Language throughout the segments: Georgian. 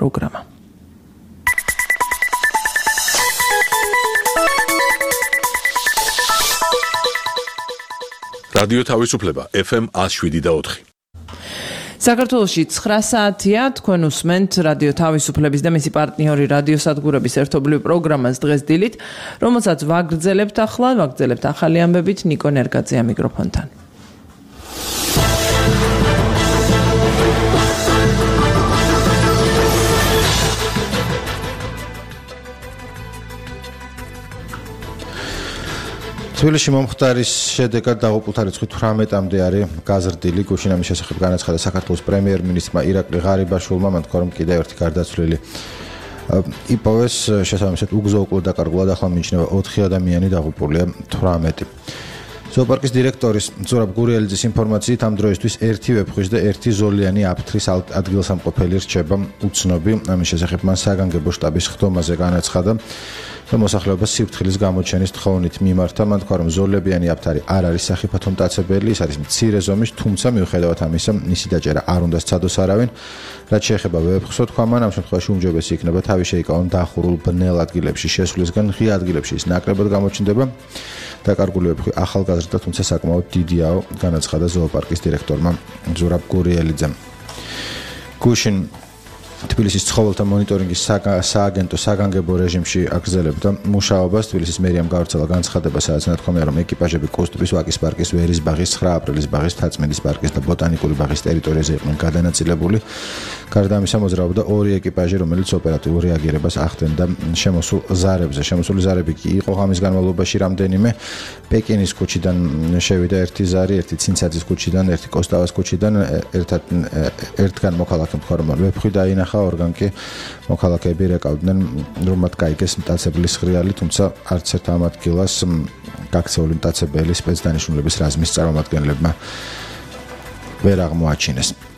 პროგრამა. რადიო თავისუფლება FM 107.4. საქართველოში 9 საათია, თქვენ უსმენთ რადიო თავისუფლების და მისი პარტნიორი რადიოსადგურების ერთობლივ პროგრამას დღეს დილით, რომელსაც ვაგრძელებთ ახალი ამბებით ნიკო ნერგაძეა მიკროფონთან. თბილისში მომხდარის შედეგად დაღუპულთა რიცხვი 18-მდე არის გაზრდილი. გუშინ ამის შესახებ განაცხადა საქართველოს პრემიერ-მინისტრმა ირაკლი ღარიბაშვილმა, მან თქვა, რომ კიდევ ერთი გარდაცვლილი იპოვეს, შესაბამისად უგზო-უკვლოდ დაკარგულა და ახლა მიიჩნევა 4 ადამიანი, დაღუპულია 18. ზოოპარკის დირექტორის ზურაბ გურიელიძის ინფორმაციით ამ დროისთვის 1 ვეფხვის და 1 ზოლიანი აფთრის ადგილსამყოფელი რჩება უცნობი. ამის შესახებ მან საგანგებო შტაბის ხდომაზე განაცხადა და მოსახლეობას სიფრთხილის გამოჩენის თხოვნით მიმართა. მან თქვა, რომ ზოლებიანი აფთარი არ არის სახიფათო მტაცებელი, ის არის მცირე ზომის, თუმცა მიუხედავად ამისა, მისი დაჭერა არ უნდა სცადოს არავინ. რაც შეეხება ვეფხვს, თქვა მან, ამ შემთხვევაში უმჯობესი იქნება თავი შეიკავონ დახურულ ბნელ ადგილებში შესვლისგან, ღია ადგილებში ის ნაკლებად გამოჩნდება. დაკარგული ვეფხვი ახალგაზრდა, თუმცა საკმაოდ დიდიაო, განაცხადა ზოოპარკის დირექტორმა ზურაბ გურიელიძემ. გუშინ თბილისის ცხოველთა მონიტორინგის სააგენტო საგანგებო რეჟიმში აგრძელებდა მუშაობას. თბილისის მერიამ გავრცელა განცხადება, სადაც ნათქვამია, რომ ეკიპაჟები კუსტების, ვაკის პარკის, ვერის ბაღის, 9 აპრილის ბაღის, თაწმინდის პარკის და ბოტანიკური ბაღის ტერიტორიაზე იყვნენ გადანაწილებული. გარდა ამისა, მოძრაობდა 2 ეკიპაჟი, რომელიც ოპერატიულ რეაგირებას ახდენდა შემოსულ ზარებზე. შემოსული ზარები კი იყო ღამის განმავლობაში რამდენიმე. პეკინის ქუჩიდან შევიდა 1 ზარი, 1 ცინცაძის ქუჩიდან, 1 კოსტავას ქუჩიდან, ერთგან მოქალაქემ თქვა, რომ ვეფხვი დაინახა, ორგან კი მოქალაქეები რეკავდნენ, რომ მათ გაიგეს მტაცებლის ღრიალი, თუმცა არც ერთ ამ ადგილას გაქცეული მტაცებელი სპეცდანიშნულების რაზმის წარმომადგენლებმა ვერ აღმოაჩინეს.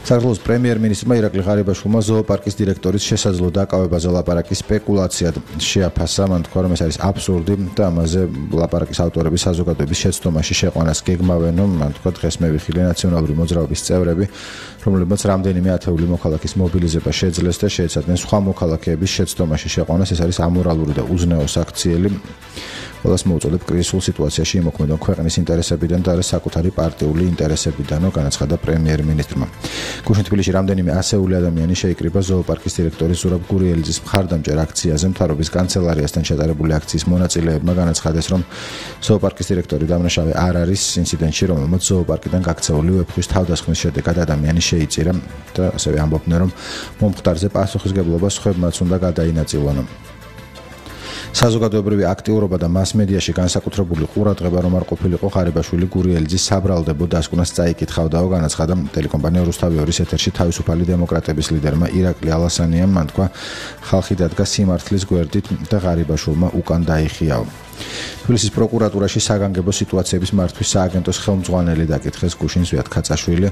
საქართველოს პრემიერ-მინისტრმა ირაკლი ღარიბაშვილმა ზოოპარკის დირექტორის შესაძლო დაკავებაზე ლაპარაკის სპეკულაციად შეაფასა. მან თქვა, რომ ეს არის აბსურდი და ამაზე ლაპარაკის ავტორები საზოგადოების შეცდომაში შეყვანას გეგმავენ. მან თქვა, დღეს მე ვიხილე ნაციონალური მოძრაობის წევრები, რომლებმაც რამდენიმე ათეული მოქალაქის მობილიზება შეძლეს და შეეცადნენ სხვა მოქალაქეების შეცდომაში შეყვანას. ეს არის ამორალური და უზნეო საქციელი. ყველას მოუწოდებ კრიზისულ სიტუაციაში იმოქმედონ ქვეყნის ინტერესებიდან და არა საკუთარი პარტიული ინტერესებიდანო, განაცხადა პრემიერ-მინისტრმა. გუშინ თბილისში რამდენიმე ასეული ადამიანი შეიკრიბა ზოოპარკის დირექტორის ზურაბ გურიელიძის მხარდამჭერ აქციაზე. მთავრობის კანცელარიასთან ჩატარებული აქციის მონაწილეებმა განაცხადეს, რომ ზოოპარკის დირექტორი დამნაშავე არ არის ინციდენტში, რომელმაც ზოოპარკიდან გაქცეული ვეფხვის თავდასხმის შედეგად ადამიანი შეიწირა და ასევე ამბობდნენ, რომ მომხდარზე პასუხისგებლობა სხვებმაც უნდა გადაინაწილონ. საზოგადოებრივი აქტიურობა და მასმედიაში განსაკუთრებული ყურადღება რომ არ ყოფილიყო ღარიბაშვილი გურიელიძის საბრალდებო დასკვნას წაიკითხავდაო, განაცხადა ტელეკომპანია რუსთავი 2-ის ეთერში თავისუფალი დემოკრატების ლიდერმა ირაკლი ალასანიამ. მან თქვა, ხალხი დადგა სიმართლის გვერდით და ღარიბაშვილმა უკან დაიხიაო. თბილისის პროკურატურაში საგანგებო სიტუაციების მართვის სააგენტოს ხელმძღვანელი დაკითხეს გუშინ ზვიად ქაცაშვილი,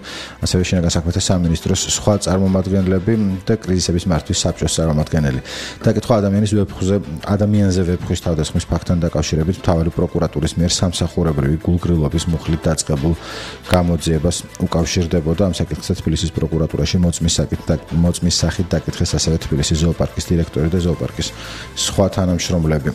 ასევე შინაგან საქმეთა სამინისტროს სხვა წარმომადგენლები და კრიზისების მართვის საბჭოს წარმომადგენელი. დაკითხვა ადამიანზე ვეფხვის თავდასხმის ფაქტთან დაკავშირებით მთავარი პროკურატურის მიერ სამსახურებრივი გულგრილობის მუხლით დაწყებულ გამოძიებას უკავშირდებოდა. ამ საკითხზე თბილისის პროკურატურაში მოწმის სახით დაკითხეს ასევე თბილისის ზოოპარკის დირექტორი და ზოოპარკის სხვა თანამშრომლები.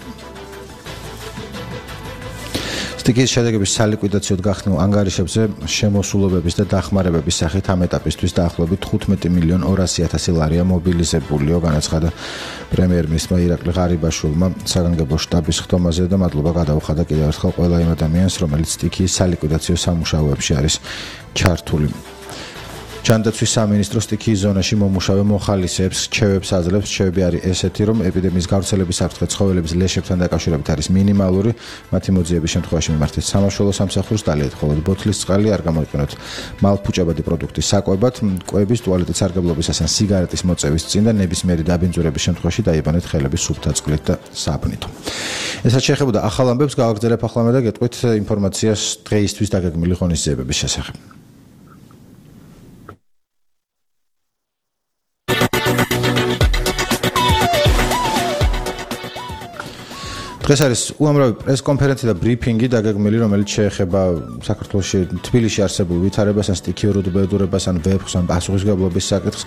სტიქიის შედეგების სალიკვიდაციოდ გახსნილ ანგარიშებზე შემოსულობების და დახმარებების სახით ამ ეტაპისთვის დაახლოებით 15,200,000 ლარია მობილიზებულიო, განაცხადა პრემიერ-მინისტრმა ირაკლი ღარიბაშვილმა საგანგებო შტაბის ხდომაზე და მადლობა გადაუხადა კიდევ ერთხელ ყველა იმ ადამიანს, რომელიც სტიქიის სალიკვიდაციო სამუშაოებში არის ჩართული. ჯანდაცვის სამინისტრო სტიქიის ზონაში მომუშავე მოხალისეებს რჩევებს აძლევს. რჩევები არის ესეთი, რომ ეპიდემიის გავრცელების საფრთხე ცხოველების ლეშებთან დაკავშირებით არის მინიმალური. მათი მოძიების შემთხვევაში მიმართეთ სამაშველო სამსახურს, დალიეთ მხოლოდ ბოთლის წყალი, არ გამოიყენოთ მალფუჭებადი პროდუქტის საკვებად, კვების, ტუალეტის სარგებლობისას ან სიგარეტის მოწევის წინ და ნებისმიერი დაბინძურების შემთხვევაში დაიბანეთ ხელები სუფთა წყლით და საბნით. ესაც შეეხებოდა ახალ ამბებს, გავაგრძელებ ახლა და გეტყვით ინფორმაციას დღეისთვის დაგეგმილი ღონისძიებების შესახებ. დღეს არის უამრავი პრესკონფერენცია და ბრიფინგი დაგეგმილი, რომელიც შეეხება საქართველოში თბილისში არსებულ ვითარებას, ან სტიქიურ უდაბნოებას, ან ვეფხს, ან პასუხისმგებლობის საკითხს.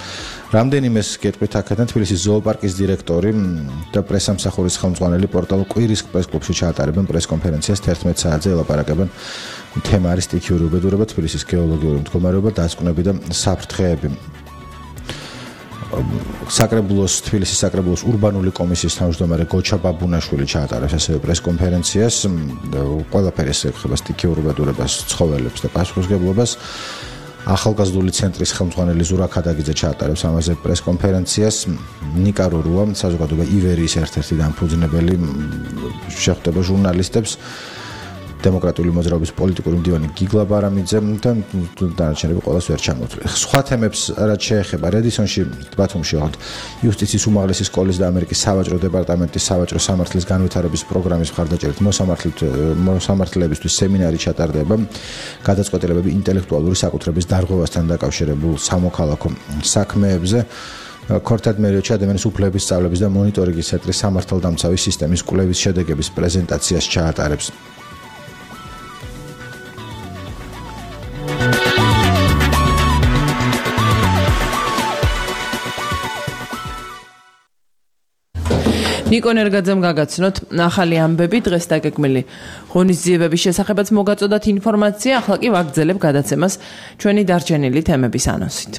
რამდენიმეს გეტყვით აქედან თბილისის ზოოპარკის დირექტორი და პრესამსახურის ხელმძღვანელი პორტალ კვირის პრესკლუბში ჩაატარებენ პრესკონფერენციას 11 საათზე ელაპარაკებენ. თემა არის სტიქიური უდაბნოება, თბილისის გეოლოგიური მდგომარეობა, დასკვნები და საფრთხეები. თბილისის საკრებულოს ურბანული კომისიის თავმჯდომარე გოჩა ბაბუნაშვილი ჩაატარებს ასევე პრესკონფერენციას. ყველაფერი ეხება სტიქიურ უდაბნოებას, ცხოველებს და პასუხისმგებლობას. ახალგაზრდული ცენტრის ხელმძღვანელი ზურა ქადაგიძე ჩაატარებს ამაზე პრესკონფერენციას. ნიკა რურუა, საზოგადოება ივერიის ერთ-ერთი დამფუძნებელი, შეხვდება ჟურნალისტებს. დემოკრატიული მოძრაობის პოლიტიკური მდივანი გიგლა ბარამიძე და დანარჩენები ყოველს ვერ ჩამოთვლით. სხვა თემებს რაც შეეხება რედისონში, ბათუმში ვართ. იუსტიციის უმაღლესი სკოლის და ამერიკის სავაჭრო დეპარტამენტის სავაჭრო სამართლის განვითარების პროგრამის მხარდაჭერით მოსამართლებისთვის სემინარი ჩატარდება. გადაწყვეტილებები ინტელექტუალური საკუთრების დარღვევასთან დაკავშირებულ სამოქალაქო საქმეებზე. ქორთად მერიოჩი ადამიანის უფლებების სწავლების და მონიტორინგის ცენტრის სამართალდამცავი სისტემის კვლევის შედეგების პრეზენტაციას ჩაატარებს. ნიკო ნერგაძემ გაგაცნოთ ახალი ამბები დღეს დაგეგმილი ღონისძიებების შესახებაც მოგაწოდათ ინფორმაცია, ახლა კი ვაგრძელებ გადაცემას ჩვენი დარჩენილი თემების ანონსით.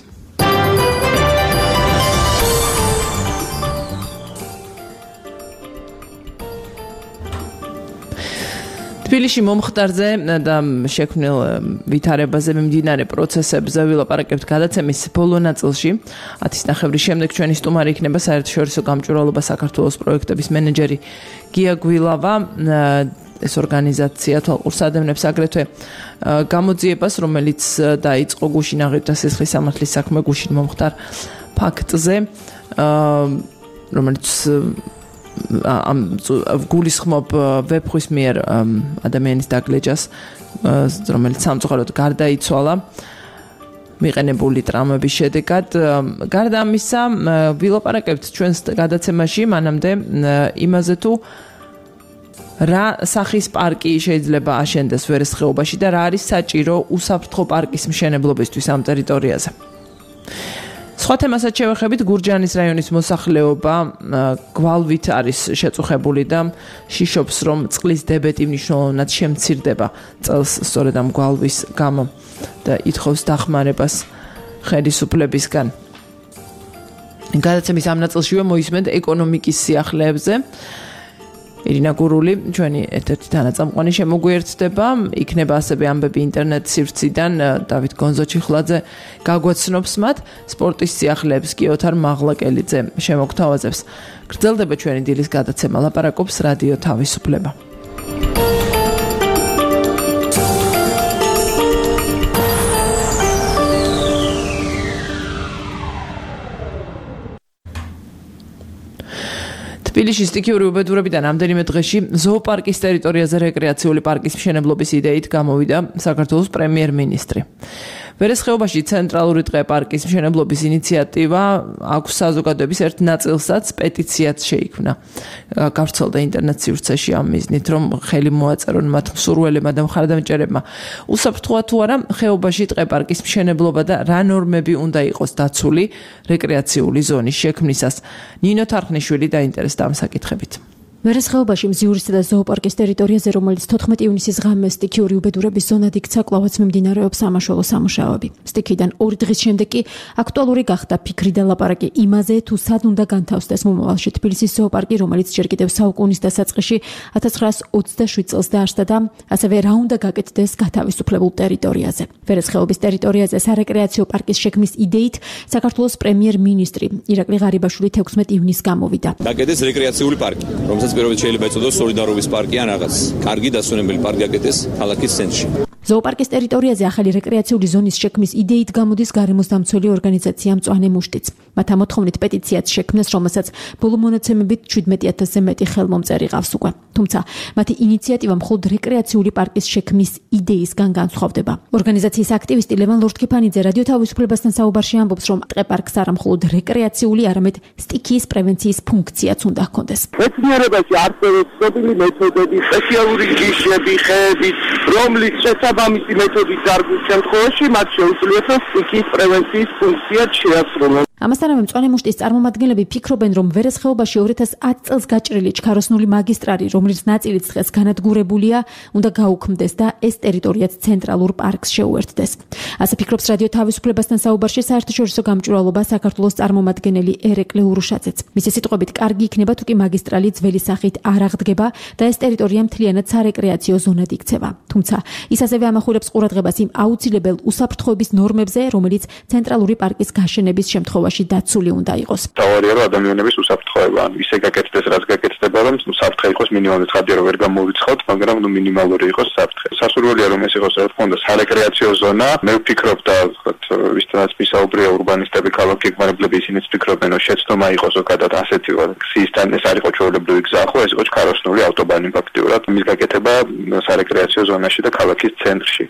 თბილისში მომხდარზე და შექმნილ ვითარებაზე მიმდინარე პროცესებზე ვილაპარაკებთ გადაცემის ბოლო ნაწილში. 10:30 შემდეგ ჩვენი სტუმარი იქნება საერთაშორისო გამჭვირვალობა საქართველოს პროექტების მენეჯერი გია გვილავა. ეს ორგანიზაცია თვალყურს ადევნებს აგრეთვე გამოძიებას, რომელიც დაიწყო გუშინ აღებდა სისხლის სამართლის საქმე გუშინ მომხდარ ფაქტზე, რომელიც გულისხმობ ვეფხვის მიერ ადამიანის დაგლეჯას, რომელიც სამწუხაროდ გარდაიცვალა მიყენებული ტრამვების შედეგად. გარდა ამისა, ვილაპარაკებთ ჩვენს გადაცემაში მანამდე იმაზე თუ რა სახის პარკი შეიძლება აშენდეს ვერესხეობაში და რა არის საჭირო უსაფრთხო პარკის მშენებლობისთვის ამ ტერიტორიაზე. სხვა თემასაც შევეხებით, გურჯაანის რაიონის მოსახლეობა გვალვით არის შეწუხებული და შიშობს, რომ წყლის დებეტი მნიშვნელოვნად შემცირდება წელს სწორედ ამ გვალვის გამო და ითხოვს დახმარებას ხელისუფლებისგან. გადაცემის ამ ნაწილშივე მოისმენთ ეკონომიკის სიახლეებზე. ირინა გურული, ჩვენი ერთ-ერთი თანაწამყვანი შემოგვიერთდება, იქნება ასევე ამბები ინტერნეტ სივრციდან, დავით გონზოჩიხლაძე გაგვაცნობს მათ, სპორტის სიახლეებს კი ოთარ მაღლაკელიძე შემოგთავაზებს. გრძელდება ჩვენი დილის გადაცემა, ლაპარაკობს რადიო თავისუფლება. თბილისში სტიქიური უბედურებიდან რამდენიმე დღეში ზოოპარკის ტერიტორიაზე რეკრეაციული პარკის მშენებლობის იდეით გამოვიდა საქართველოს პრემიერ-მინისტრი. ვერესხეობაში ცენტრალური ტყე პარკის მშენებლობის ინიციატივა აქვს საზოგადოების ერთ ნაწილსაც პეტიციაც შეიქმნა. გავრცელდა ინტერნეტ სივრცეში ამ მიზნით, რომ ხელი მოაწერონ მათ მსურველებმა და მხარდამჭერებმა. უსაფრთხოა თუ არა ხეობაში ტყე პარკის მშენებლობა და რა ნორმები უნდა იყოს დაცული რეკრეაციული ზონის შექმნისას. ნინო თარხნიშვილი დაინტერესდა ამ საკითხებით. ვერესხეობაში მზიურისა და ზოოპარკის ტერიტორიაზე, რომელიც 14 ივნისის ღამე სტიქიური უბედურების ზონად იქცა, კვლავაც მიმდინარეობს სამაშველო სამუშაოები. სტიქიდან 2 დღის შემდეგ კი აქტუალური გახდა ფიქრი და ლაპარაკი იმაზე, თუ სად უნდა განთავსდეს მომავალში თბილისის ზოოპარკი, რომელიც ჯერ კიდევ საუკუნის დასაწყისში 1927 წელს დაარსდა და ასევე რა უნდა გაკეთდეს გათავისუფლებულ ტერიტორიაზე. ვერესხეობის ტერიტორიაზე სარეკრეაციო პარკის შექმნის იდეით საქართველოს პრემიერ-მინისტრი ირაკლი ღარიბაშვილი 16 ივნისს გამოვიდა. გაკეთდეს რეკრეაციული პარკი, რომელსაც პირველად შეიძლება ეწოდოს სოლიდარობის პარკი ან რაღაც კარგი დასვენებელი პარკი გაკეთდეს ქალაქის ცენტრში. ზოოპარკის ტერიტორიაზე ახალი რეკრეაციული ზონის შექმნის იდეით გამოდის გარემოს დამცველი ორგანიზაცია მწვანე მუშტიც. მათ ამოთხოვნით პეტიციაც შექმნეს, რომელსაც ბოლო მონაცემებით 17,000-ზე მეტი ხელმომწერი ყავს უკვე. თუმცა მათი ინიციატივა მხოლოდ რეკრეაციული პარკის შექმნის იდეისგან განსხვავდება. ორგანიზაციის აქტივისტი ლევან ლორთქიფანიძე რადიო თავისუფლებასთან საუბარში ამბობს, რომ ტყე-პარკს არა მხოლოდ რეკრეაციული, არამედ სტიქიის პრევენციის ფუნქციაც უნდა ჰქონდეს. მეცნიერებაში არსებობს ცნობილი მეთოდები, სპეციალური ჯიშები, ხეები, რომლის შესაბამისი მეთოდის დარგვის შემთხვევაში მათ შეუძლიათ სტიქიის პრევენციის ფუნქციაც შეასრულონ. ამასთანავე მწვანე მუშტის წარმომადგენლები ფიქრობენ, რომ ვერესხეობაში 2010 წელს გაჭრილი ჩქაროსნული მაგისტრალი, რომლის ნაწილიც დღეს განადგურებულია, უნდა გაუქმდეს და ეს ტერიტორიაც ცენტრალურ პარკს შეუერთდეს. ასე ფიქრობს რადიო თავისუფლებასთან საუბარში საერთაშორისო გამჭვირვალობა საქართველოს წარმომადგენელი ერეკლე ურუშაძეც. მისი სიტყვებით, კარგი იქნება თუ კი მაგისტრალი ძველი სახით არ აღდგება და ეს ტერიტორია მთლიანად სარეკრეაციო ზონად იქცევა. თუმცა ის ასევე ამახვილებს ყურადღებას იმ აუცილებელ უსაფრთხოების ნორმებზე, რომელიც ცენტრალური პარკის გაშენების შემთხვევაში დაცული უნდა იყოს. თავარია რომ ადამიანების უსაფრთხოება, ისე გაკეთდეს, რაც გაკეთდება, რომ საფრთხე იყოს მინიმალური, ხადია რომ ვერ გამოვიცხოთ, მაგრამ მინიმალური იყოს საფრთხე. სასურველია რომ ეს იყოს თქონდა სარეკრეაციო ზონა. მე ვფიქრობ და ვისთანაც მისაუბრია ურბანისტები, ქალაქგეგმარებლები, ისინიც ფიქრობენ, რომ შეცდომა იყოს ზოგადად ასეთი გზისთან, ეს არ იყო ჩვეულებრივი გზა, ხო, ეს იყო ჩქაროსნული ავტობანი ფაქტიურად, მის გაკეთება სარეკრეაციო ზონაში და ქალაქის ცენტრში.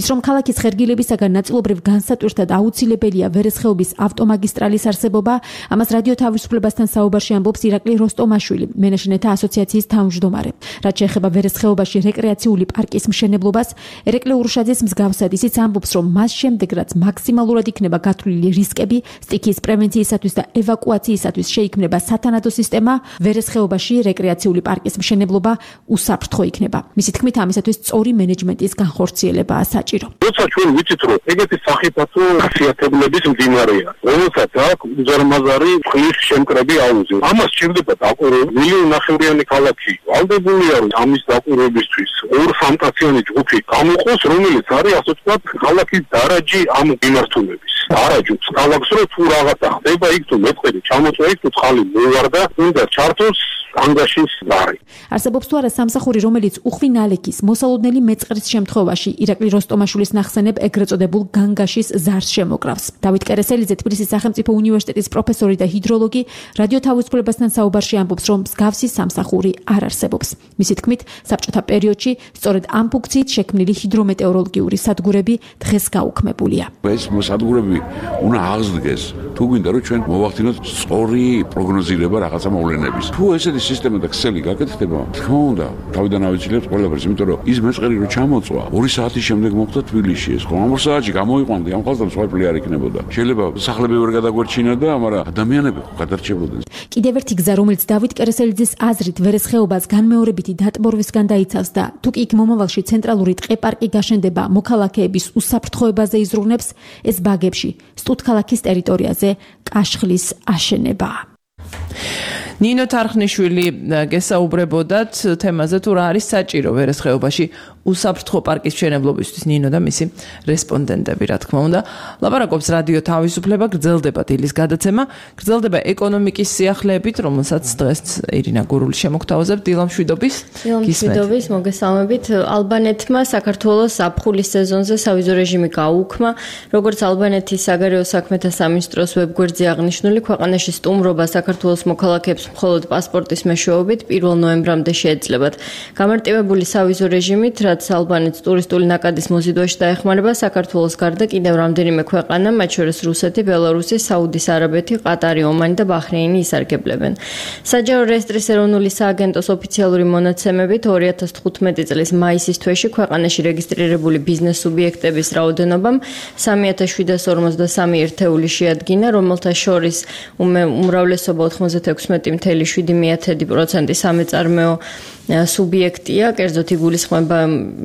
ის რომ ქალაქის ხერგილებისაგან ნაწილობრივ განსატვირთად აუცილებელია ვერესხეობის ავტომაგისტრალის არსებობა, ამას რადიო თავისუფლებასთან საუბარში ამბობს ირაკლი როსტომაშვილი, მენეჯმენტთა ასოციაციის თავმჯდომარე. რაც შეეხება ვერესხეობაში რეკრეაციული პარკის მშენებლობას, ერეკლე ურუშაძის მსგავსად ისიც ამბობს, რომ მას შემდეგ, რაც მაქსიმალურად იქნება გათვლილი რისკები სტიქიის პრევენციისათვის და ევაკუაციისათვის შეიქმნება სათანადო სისტემა, ვერესხეობაში რეკრეაციული პარკის მშენებლობა უსაფრთხო იქნება. მისი თქმით, ამისათვის სწორი მენეჯმენტის განხორციელებაა საჭირო. როცა ჩვენ ვიცით, რომ ეგეთი სახიფათო ხასიათებლების მდინარეა, რომელსაც აქვს უზარმაზარი ხლის შემკრები აუზი. ამას სჭირდება დაკვირვება. 1,5 ქალაქი ვალდებულია, რომ ამის დაკვირვებისთვის 2-3 ჯგუფი გამოყოს, რომელიც არის ასე ვთქვათ, ქალაქის დარაჯი ამ მიმართულების. დარაჯობს ქალაქს, რომ თუ რაღაცა ხდება, იქ თუ მეტყვი ჩამოწვა, იქ თუ ხალი მოვარდა, უნდა ჩართოს ანგაშის ზარი. არსებობს თუ არა სამსახური, რომელიც უხვინ ალექის მოსალოდნელი მეწყრის შემთხვევაში ირაკლი როსტომაშვილის ნახსენებ ეგრეთ წოდებულ განგაშის ზარს შემოკრავს. დავით კერესელიძე, თბილისის სახელმწიფო უნივერსიტეტის პროფესორი და ჰიდროლოგი, რადიო თავისუფლებასთან საუბარში ამბობს, რომ მსგავსი სამსახური არ არსებობს. მისი თქმით, საბჭოთა პერიოდში სწორედ ამ ფუნქციით შექმნილი ჰიდრომეტეოროლოგიური სადგურები დღეს გაუქმებულია. ეს სადგურები უნდა აღზრდდეს, თუ გვინდა რომ ჩვენ მოვახდინოთ სწორი პროგნოზირება რაღაცა მოვლენების. თუ ესეთი სისტემა და ქსელი გაკეთდება, თქმა უნდა, თავიდან ავიცილებთ ყველაფერს, იმიტომ რომ ის მეწყერი რო ჩამოწვა, 2 საათის შემდეგ მოხდა თბილისში ეს, ხო? 2 საათში გამოიყვანდი, ამ ხალხს სხვაფერი არ იქნებოდა. შეიძლება სახლები ვერ გადაგვერჩინა და მაგრამ ადამიანები ხო გადარჩებოდნენ. კიდევ ერთი გზა, რომელიც დავით კერესელიძის აზრით ვერესხეობას განმეორებითი დატბორვისგან დაიცავს და თუ კი იქ მომავალში ცენტრალური ტყე-პარკი გაშენდება მოქალაქეების უსაფრთხოებაზე იზრუნებს, ეს ბაგებში, სტუთქალაქის ტერიტორიაზე კაშხლის აშენებაა. ნინო თარხნიშვილი გესაუბრებოდათ თემაზე, თუ რა არის საჭირო ვერესხეობაში უსაფრთხო პარკის მშენებლობისთვის. ნინო და მისი რესპონდენტები, რა თქმა უნდა, ლაპარაკობს რადიო თავისუფლება, გრძელდება დილის გადაცემა, გრძელდება ეკონომიკის სიახლეებით, რომელსაც დღეს ირინა გურული შემოგთავაზებთ. დილა მშვიდობის. მშვიდობის, მოგესალმებით. ალბანეთმა საქართველოს ზაფხულის სეზონზე სავიზო რეჟიმი გაუქმა, როგორც ალბანეთის საგარეო საქმეთა სამინისტროს ვებგვერდზე აღნიშნული, ქვეყანაში სტუმრობა საქართველოს მოქალაქეებს მხოლოდ პასპორტის მეშვეობით 1 ნოემბრამდე შეეძლებათ. გამარტივებული სავიზო რეჟიმით, რაც ალბანეთს ტურისტული ნაკადის მოზიდვაში დაეხმარება, საქართველოს გარდა კიდევ რამდენიმე ქვეყანა, მათ შორის რუსეთი, ბელარუსი, საუდის არაბეთი, ყატარი, ომანი და ბაჰრეინი ისარგებლებენ. საჯარო რეესტრის ეროვნული სააგენტოს ოფიციალური მონაცემებით 2015 წლის მაისის თვეში ქვეყანაში რეგისტრირებული ბიზნეს სუბიექტების რაოდენობამ 3753 ერთეული შეადგინა, რომელთა შორის უმრავლესობა 96.7% სამეწარმეო სუბიექტია, კერძოდ იგულისხმება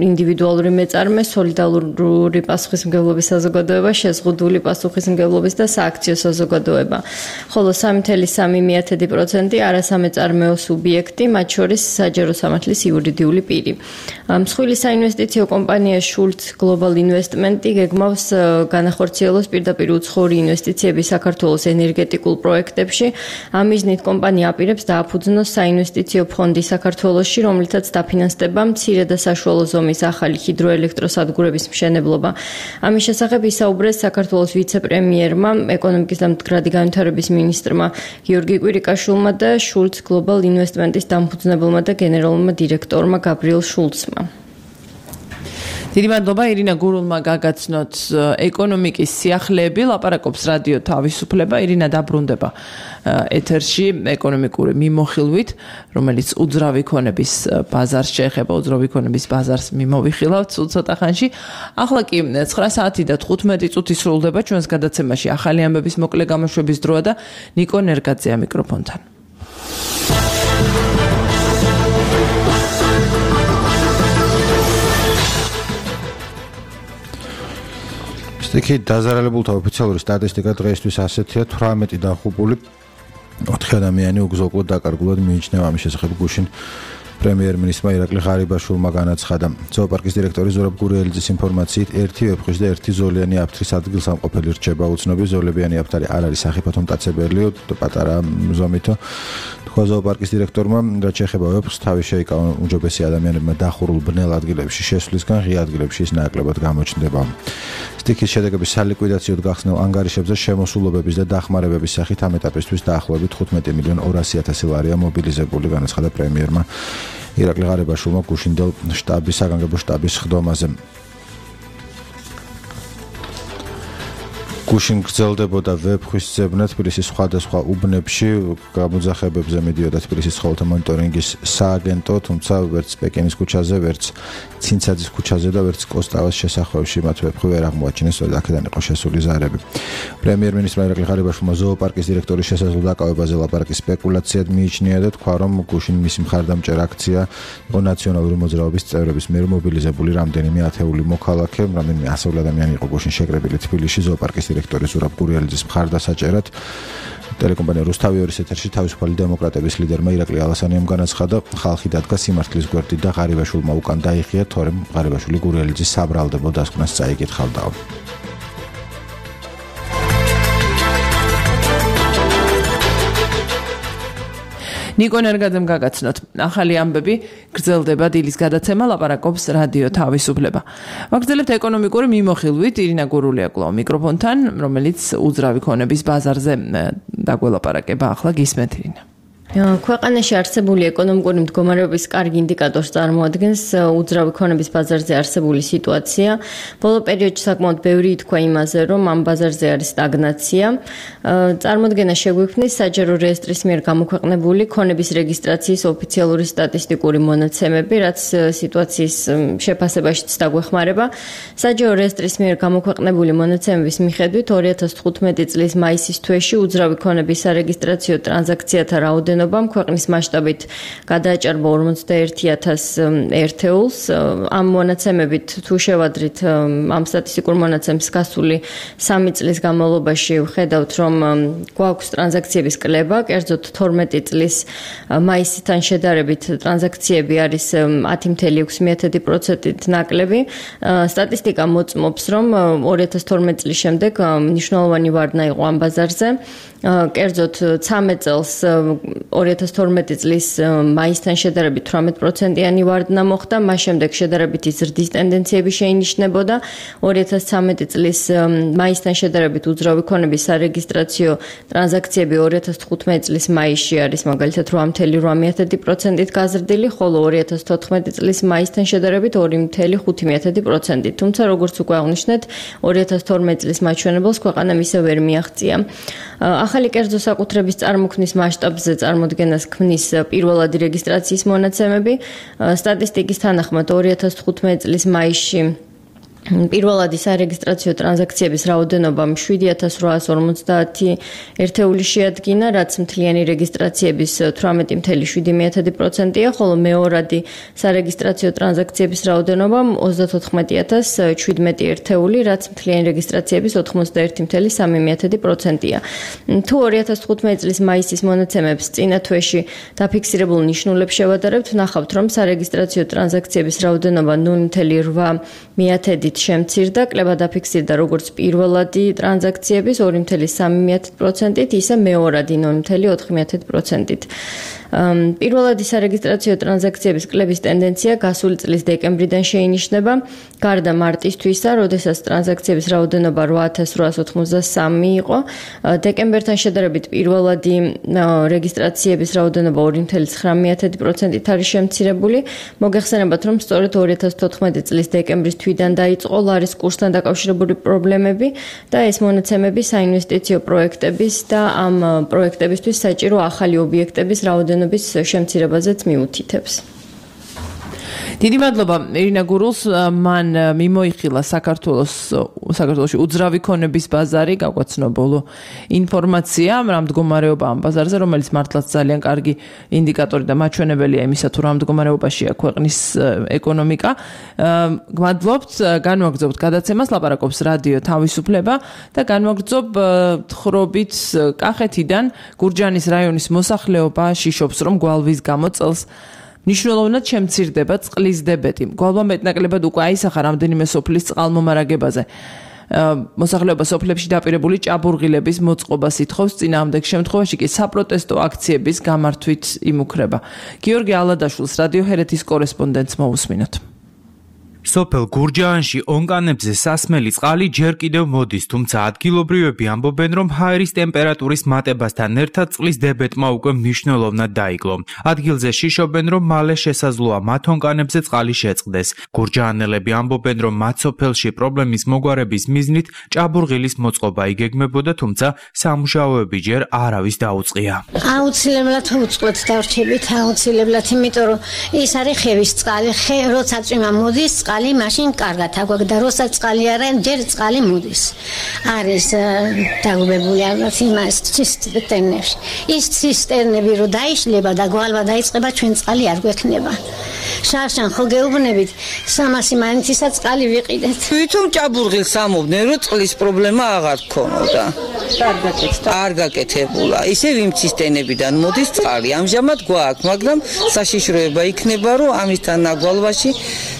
ინდივიდუალური მეწარმე, სოლიდარული პასუხისმგებლობის საზოგადოება, შეზღუდული პასუხისმგებლობის და სააქციო საზოგადოება. ხოლო 3.3% არასამეწარმეო სუბიექტი, მათ შორის საჯარო სამართლის იურიდიული პირი. მსხვილი საინვესტიციო კომპანია Schultz Global Investment გეგმავს განახორციელოს პირდაპირ უცხოური ინვესტიციები საქართველოს ენერგეტიკულ პროექტებში. ამ მიზნით კომპანია აპირებს დააფუძნოს საინვესტიციო ფონდი საქართველოში, რომლითაც დაფინანსდება მცირე და საშუალო ზომის ახალი ჰიდროელექტროსადგურების მშენებლობა. ამის შესახებ ისაუბრეს საქართველოს ვიცე-პრემიერმა, ეკონომიკის და მდგრადი განვითარების მინისტრმა გიორგი კვირიკაშვილმა და შულც გლობალ ინვესტმენტის დამფუძნებელმა და გენერალურმა დირექტორმა გაბრიელ შულცმა. დიდი მადლობა ირინა გურულმა გაგაცნოთ ეკონომიკის სიახლეები, ლაპარაკობს რადიო თავისუფლება. ირინა დაბრუნდება ეთერში ეკონომიკური მიმოხილვით, რომელიც უძრავი ქონების ბაზარს შეეხება, უძრავი ქონების ბაზარს მიმოვიხილავთ ცოტა ხანში. ახლა კი 9 საათი და 15 წუთი სრულდება ჩვენს გადაცემაში ახალი ამბების მოკლე გამოშვების დროა და ნიკო ნერგაძეა მიკროფონთან. სტიქი დაზარალებულთა ოფიციალური სტატისტიკა დღეისთვის ასეთია 18 დახუპული 4 ადამიანი უგზო-უკლოდ დაკარგულად მიიჩნევა. ამის შესახებ გუშინ პრემიერ-მინისტრმა ირაკლი ღარიბაშვილმა განაცხადა. ზოოპარკის დირექტორი ზურაბ გურიელიძის ინფორმაციით, ერთი ვეფხვი და ერთი ზოლიანი აფთრის ადგილსამყოფელი რჩება. უცნობი ზოლებიანი აფთარი არ არის სახიფათო მტაცებელი, პატარა ზომითო. თქვა ზოოპარკის დირექტორმა, რაც შეეხება ვეფხვს, თავი შეიკავა უჯობესი ადამიანებმა დახურულ ბნელ ადგილებში შესვლისგან, ღია ადგილებში ის ნაკლებად გამოჩნდება. სტიქის შედეგების სალიკვიდაციოდ გახსნილ ანგარიშებზე შემოსულობების და დახმარებების სახით ამ ეტაპისთვის დაახლოებით 15,200,000 ლარია მობილიზებული, განაცხადა პრემიერმა ირაკლი ღარიბაშვილმა გუშინდელ საგანგებო შტაბის ხდომაზე. გუშინ გრძელდებოდა ვეფხვის ძებნა თბილისის სხვადასხვა უბნებში, გამოძახებებზე მიდიოდა თბილისის ცხოველთა მონიტორინგის სააგენტო, თუმცა ვერც პეკინის ქუჩაზე, ვერც ცინცაძის ქუჩაზე და ვერც კოსტავას შესახვევში მათ ვეფხვი ვერ აღმოაჩინეს, სწორედ აქედან იყო შესული ზარები. პრემიერ-მინისტრმა ირაკლი ღარიბაშვილმა ზოოპარკის დირექტორის შესაძლო დაკავებაზე ლაპარაკის სპეკულაციად მიიჩნია და თქვა, რომ გუშინ მისი მხარდამჭერ აქცია იყო ნაციონალური მოძრაობის წევრების მიერ მობილიზებული რამდენიმე ათეული მოქალაქე, რამდენიმე ასეული ადამიანი იყო გუშინ შეკრებილი თბილისში ზოოპარკის დირექტორი ზურაბ გურიელიძის მხარდასაჭერად. ტელეკომპანია რუსთავი-2-ის ეთერში თავისუფალი დემოკრატების ლიდერმა ირაკლი ალასანიამ განაცხადა, ხალხი დადგა სიმართლის გვერდით და ღარიბაშვილმა უკან დაიხია, თორემ ღარიბაშვილი გურიელიძის საბრალდებო დასკვნას წაიკითხავდა. ნიკო ნერგაძემ გაგაცნოთ ახალი ამბები, გრძელდება დილის გადაცემა, ლაპარაკობს რადიო თავისუფლება. ვაგრძელებთ ეკონომიკური მიმოხილვით, ირინა გურულია კვლავ მიკროფონთან, რომელიც უძრავი ქონების ბაზარზე დაგველაპარაკება. ახლა გისმენთ ირინა. ქვეყანაში არსებული ეკონომიკური მდგომარეობის კარგი ინდიკატორს წარმოადგენს უძრავი ქონების ბაზარზე არსებული სიტუაცია. ბოლო პერიოდში საკმაოდ ბევრი ითქვა იმაზე, რომ ამ ბაზარზე არის სტაგნაცია. წარმოდგენა შეგვიქმნის საჯარო რეესტრის მიერ გამოქვეყნებული ქონების რეგისტრაციის ოფიციალური სტატისტიკური მონაცემები, რაც სიტუაციის შეფასებაშიც დაგვეხმარება. საჯარო რეესტრის მიერ გამოქვეყნებული მონაცემების მიხედვით 2015 წლის მაისის თვეში უძრავი ქონების სარეგისტრაციო ტრანზაქციათა რაოდენობა ქვეყნის მასშტაბით გადააჭარბა 41,000 ერთეულს. ამ მონაცემებით თუ შევადრით ამ სტატისტიკურ მონაცემს გასული 3 წლის განმავლობაში ვხედავთ, რომ გვაქვს ტრანზაქციების კლება, კერძოდ 12 წლის მაისთან შედარებით ტრანზაქციები არის 10,6% ნაკლები. სტატისტიკა მოწმობს, რომ 2012 წლის შემდეგ მნიშვნელოვანი ვარდნა იყო ამ ბაზარზე. კერძოდ 13 წელს 2012 წლის მაისთან შედარებით 18%-იანი ვარდნა მოხდა, მას შემდეგ შედარებითი ზრდის ტენდენციები შეინიშნებოდა. 2013 წლის მაისთან შედარებით უძრავი ქონების სარეგისტრაციო ტრანზაქციები 2015 წლის მაისში არის მაგალითად 8,8% გაზრდილი, ხოლო 2014 წლის მაისთან შედარებით 2,5%. თუმცა როგორც უკვე აღნიშნეთ, 2012 წლის მაჩვენებელს ქვეყანამ ისე ვერ მიაღწია. ახალი კერძო საკუთრების წარმოქმნის მასშტაბზე წარმოდგენას ქმნის პირველადი რეგისტრაციის მონაცემები. სტატისტიკის თანახმად 2015 წლის მაისში პირველადი სარეგისტრაციო ტრანზაქციების რაოდენობამ 7,850 ერთეული შეადგინა, რაც მთლიანი რეგისტრაციების 18,7%-ია, ხოლო მეორადი სარეგისტრაციო ტრანზაქციების რაოდენობამ 34,017 ერთეული, რაც მთლიანი რეგისტრაციების 91,3%-ია. თუ 2015 წლის მაისის მონაცემებს წინა თვეში დაფიქსირებულ ნიშნულებს შევადარებთ, ნახავთ, რომ სარეგისტრაციო ტრანზაქციების რაოდენობა 0,8 მოდით შემცირდა, კლება დაფიქსირდა როგორც პირველადი ტრანზაქციების 2.3%-ით, ისე მეორადი 0.4%-ით. პირველადი სარეგისტრაციო ტრანზაქციების კლების ტენდენცია გასული წლის დეკემბრიდან შეინიშნება, გარდა მარტისთვისა, როდესაც ტრანზაქციების რაოდენობა 8893 იყო. დეკემბერთან შედარებით პირველადი რეგისტრაციების რაოდენობა 2.9%-ით არის შემცირებული. მოგეხსენებათ, რომ სწორედ 2014 წლის დეკემბრის თვიდან დაიწყო ლარის კურსთან დაკავშირებული პრობლემები და ეს მონაცემები საინვესტიციო პროექტების და ამ პროექტებისთვის საჭირო ახალი ობიექტების რაოდენობის შემცირებაზეც მიუთითებს. დიდი მადლობა ირინა გურულს, მან მიმოიხილა საქართველოში უძრავი ქონების ბაზარი, გაგვაცნო ბოლო ინფორმაცია რა მდგომარეობა ამ ბაზარზე, რომელიც მართლაც ძალიან კარგი ინდიკატორი და მაჩვენებელია იმისა, თუ რა მდგომარეობაშია ქვეყნის ეკონომიკა. გმადლობთ, განვაგრძობთ გადაცემას, ლაპარაკობს რადიო თავისუფლება და განვაგრძობ თხრობით კახეთიდან გურჯაანის რაიონის მოსახლეობა შიშობს, რომ გვალვის გამო წელს მნიშვნელოვნად შემცირდება წყლის დებეტი. გვალვა მეტნაკლებად უკვე აისახა რამდენიმე სოფლის წყალმომარაგებაზე. მოსახლეობა სოფლებში დაპირებული ჭაბურღილების მოწყობას ითხოვს, წინააღმდეგ შემთხვევაში კი საპროტესტო აქციების გამართვით იმუქრება. გიორგი ალადაშვილს რადიო ჰერეთის კორესპონდენტს მოусმინოთ. სოფელ გურჯაანში ონკანებზე სასმელი წყალი ჯერ კიდევ მოდის, თუმცა ადგილობრივები ამბობენ, რომ ჰაერის ტემპერატურის მატებასთან ერთად წყლის დებეტმა უკვე მნიშვნელოვნად დაიკლო. ადგილზე შიშობენ, რომ მალე შესაძლოა მათ ონკანებზე წყალი შეწყდეს. გურჯაანელები ამბობენ, რომ მათ სოფელში პრობლემის მოგვარების მიზნით ჭაბურღილის მოწყობა იგეგმებოდა, თუმცა სამუშაოები ჯერ არავის დაუწყია. აუცილებლად უწყლეთ დარჩებით, აუცილებლად, იმიტომ რომ ის არის ხევის წყალი, როცა წვიმა მოდის, წყალი მაშინ კარგად აგვაქვს და როცა წყალი არა, ჯერ წყალი მოდის. არის დაგუბებული ალბათ იმას ცისტერნებში. ის ცისტერნები რო დაიშლება და გვალვა დაიწყება, ჩვენ წყალი არ გვექნება. შარშან ხო გეუბნებით 300 მანთისა წყალი ვიყიდეთ. თვითონ ჭაბურღილს ამობდნენ, რომ წყლის პრობლემა აღარ ქონოდა. არ გაკეთებულა. ისევ იმ ცისტერნებიდან მოდის წყალი. ამჟამად გვაქვს, მაგრამ საშიშროება იქნება, რომ ამისთან აგვალვაში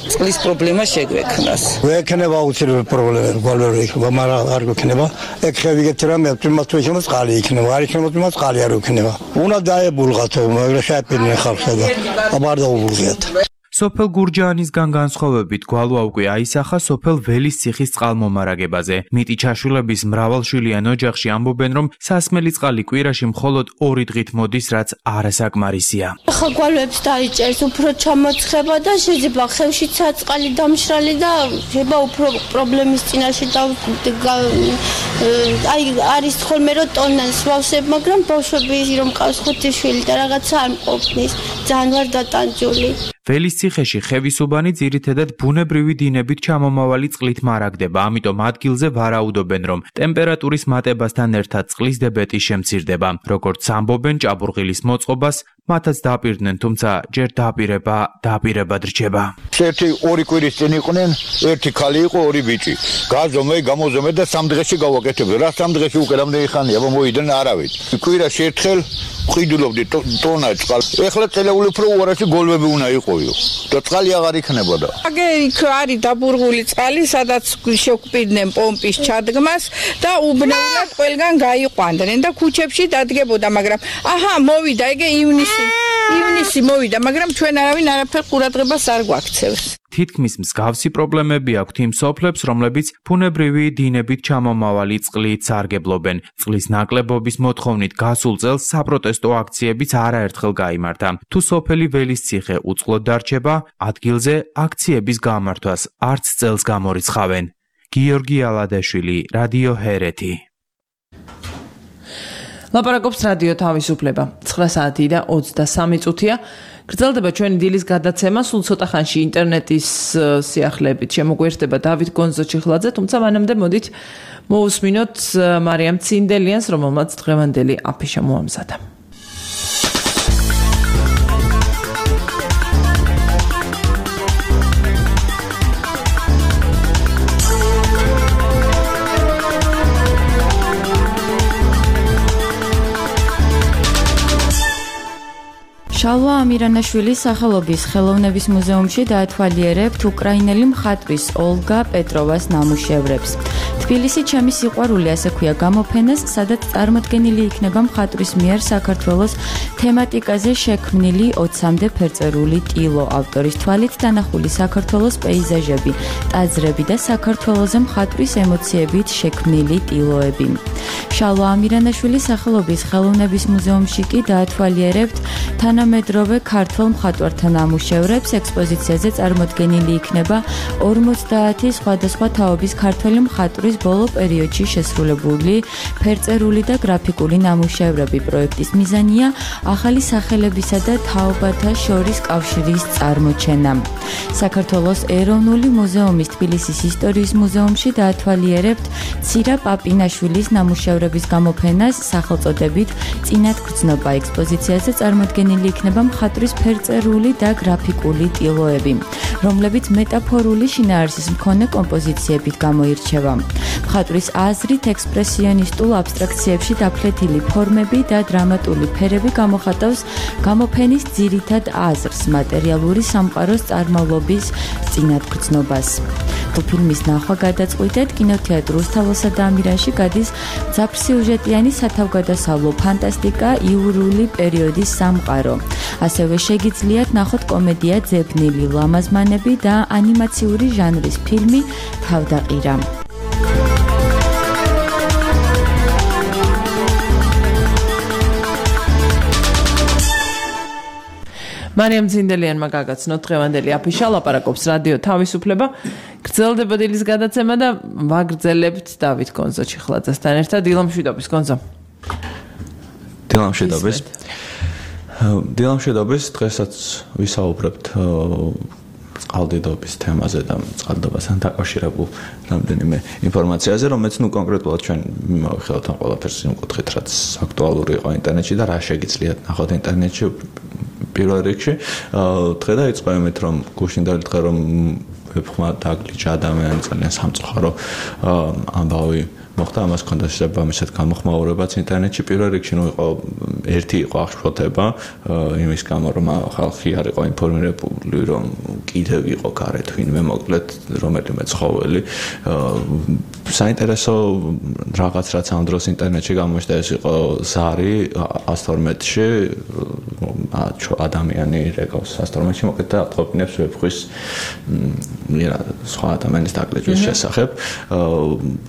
წყლის პრობლემა შეგვექნას. ვექნება აუცილებლად პრობლემა, გვალვერი იქნება, მაგრამ არ გვექნება. ეგ ხევიგეთ რამე თუმცა შეიძლება წყალი იქნება, არ იქნება თუმცა წყალი არ იქნება. უნდა დაებულღათ, მაგრამ შეაფერნენ ხალხსა და აბარ დაუბულღიათ. სოფელ გურჯაანისგან განსხვავებით გვალვა უკვე აისახა სოფელ ველის ციხის წყალმომარაგებაზე. მიტი ჩაშულების მრავალშვილიან ოჯახში ამბობენ, რომ სასმელი წყალი კვირაში მხოლოდ 2 დღით მოდის, რაც არასაკმარისია. ახლა გვალვებს დაიჭერს უფრო ჩამოცხება და შეიძლება ხევშიც წყალი დამშრალი და შეიძლება უფრო პრობლემის წინაშე არის ხოლმე რომ ტონას ვავსებ, მაგრამ ბავშვები რომ ყავს 5 შვილი და რაღაცა არ მყოფნის, ძალიან ვარ დატანჯული. ველის ციხეში ხევის უბანი ძირითადად ბუნებრივი დინებით ჩამომავალი წყლით მარაგდება, ამიტომ ადგილზე ვარაუდობენ, რომ ტემპერატურის მატებასთან ერთად წყლის დებეტი შემცირდება. როგორც ამბობენ, ჭაბურღილის მოწყობას მათაც დაპირდნენ, თუმცა ჯერ დაპირებად რჩება. ერთი 2 კვირის წინ იყვნენ, ერთი ქალი იყო, 2 ბიჭი. გაზომე, გამოზომე და 3 დღეში გავაკეთებდი. რა 3 დღეში უკვე რამდენი ხანია, მოიდნენ არავით. კვირაში ერთხელ ვყიდულობდი ტონა წყალს. ეხლა წელეული უფრო უარაში გოლვები უნდა იყოიო და წყალი აღარ იქნებოდა. აგე იქ არის დაბურღული წყალი, სადაც შეგვპირდნენ პომპის ჩადგმას და უბნეულად ყველგან გაიყვანდნენ და ქუჩებში დადგებოდა, მაგრამ მოვიდა ეგე ივნისი მოვიდა, მაგრამ ჩვენ არავინ არაფერ ყურადღებას არ გვაქცევს. თითქმის მსგავსი პრობლემები აქვთ იმ სოფლებს, რომლებიც ბუნებრივი დინებით ჩამომავალი წყლით სარგებლობენ. წყლის ნაკლებობის მოთხოვნით გასულ წელს საპროტესტო აქციებიც არაერთხელ გაიმართა. თუ სოფელი ველის ციხე უწყლოდ დარჩება, ადგილზე აქციების გამართვას არც წელს გამორიცხავენ. გიორგი ალადაშვილი, რადიო ჰერეთი. ლაპარაკობს რადიო თავისუფლება. 9 საათი და 23 წუთია. გრძელდება ჩვენი დილის გადაცემა, სულ ცოტა ხანში ინტერნეტის სიახლეებით შემოგვიერთდება დავით გონზო-ჩიხლაძე, თუმცა მანამდე მოდით მოусმინოთ მარიამ ცინდელიანს, რომელმაც დღევანდელი აფიშა მოამზადა. შალვა ამირანაშვილის სახელობის ხელოვნების მუზეუმში დაათვალიერებთ უკრაინელი მხატვრის ოლგა პეტროვას ნამუშევრებს. თბილისი ჩემი სიყვარული ასე ქვია გამოფენას, სადაც წარმოდგენილი იქნება მხატვრის მიერ საქართველოს თემატიკაზე შექმნილი 20-მდე ფერწერული ტილო, ავტორის თვალით დანახული საქართველოს პეიზაჟები, ტაძრები და საქართველოზე მხატვრის ემოციებით შექმნილი ტილოები. შალვა ამირანაშვილის სახელობის ხელოვნების მუზეუმში კი დაათვალიერებთ თანამედროვე ქართველ მხატვართა ნამუშევრებს. ექსპოზიციაზე წარმოდგენილი იქნება 50 სხვადასხვა თაობის ქართველი მხატვრის ბოლო პერიოდში შესრულებული ფერწერული და გრაფიკული ნამუშევრები. პროექტის მიზანია ახალი სახელებისა და თაობათა შორის კავშირის წარმოჩენა. საქართველოს ეროვნული მუზეუმის თბილისის ისტორიის მუზეუმში დაათვალიერებთ ცირა პაპინაშვილის ნამუშევრების გამოფენას სახელწოდებით წინათგრძნობა. ექსპოზიციაზე წარმოდგენილი იქნება მხატვრის ფერწერული და გრაფიკული ტილოები, რომლებიც მეტაფორული შინაარსის მქონე კომპოზიციებით გამოირჩევა. მხატვრის აზრით ექსპრესიონისტულ აბსტრაქციებში დაფლეთილი ფორმები და დრამატული ფერები გამოხატავს გამოფენის ძირითად აზრს, მატერიალური სამყაროს წარმავლობის წინათგრძნობას. ფილმის ნახვა გადაწყვიტეთ კინოთეატრ რუსთაველსა და ამირანში გადის ძაფრსიუჟეტიანი სათავგადასავლო ფანტასტიკა იურული პერიოდის სამყარო. ასევე შეგიძლიათ ნახოთ კომედია ძებნილი ლამაზმანები და ანიმაციური ჟანრის ფილმი თავდაყირა. მარიამ ძინდელიანმა გაგაცნოთ დღევანდელი აფიშა, ლაპარაკობს რადიო თავისუფლება. გრძელდება დილის გადაცემა და ვაგრძელებთ დავით გონზო-ჩიხლაძესთან ერთად. დილამშვიდობის გონზო. დილამშვიდობის, დღესაც ვისაუბრებთ წყალდიდობის თემაზე და წყალდიდობასთან დაკავშირებულ რამდენიმე ინფორმაციაზე, რომელიც კონკრეტულად ჩვენ მივახილოთ ამ ყველაფერს იმკუთხით, რაც აქტუალური იყო ინტერნეტში და რა შეგიძლიათ ნახოთ ინტერნეტში. პირველ რიგში, დღე დაიწყო იმით, რომ გუშინდელი დღე რომ ვებხმა დაგლიჯა ადამიანი ძალიან სამწუხარო ამბავი მოხდა, ამას ჰქონდა შესაბამისად გამოხმაურებაც ინტერნეტში. პირველ რიგში ერთი იყო აღშფოთება იმის გამო, რომ ხალხი არ იყო ინფორმირებული, რომ კიდევ იყო გარეთ ვინმე მოკლედ რომელიმე ცხოველი. საინტერესო რაღაც რაც ამ დროს ინტერნეტში გამოჩნდა, ეს იყო ზარი 112-ში ადამიანი რეკავს 112-ში მოკლედ და ატყობინებს ვებხვის სხვა ადამიანის დაგლეჯვის შესახებ.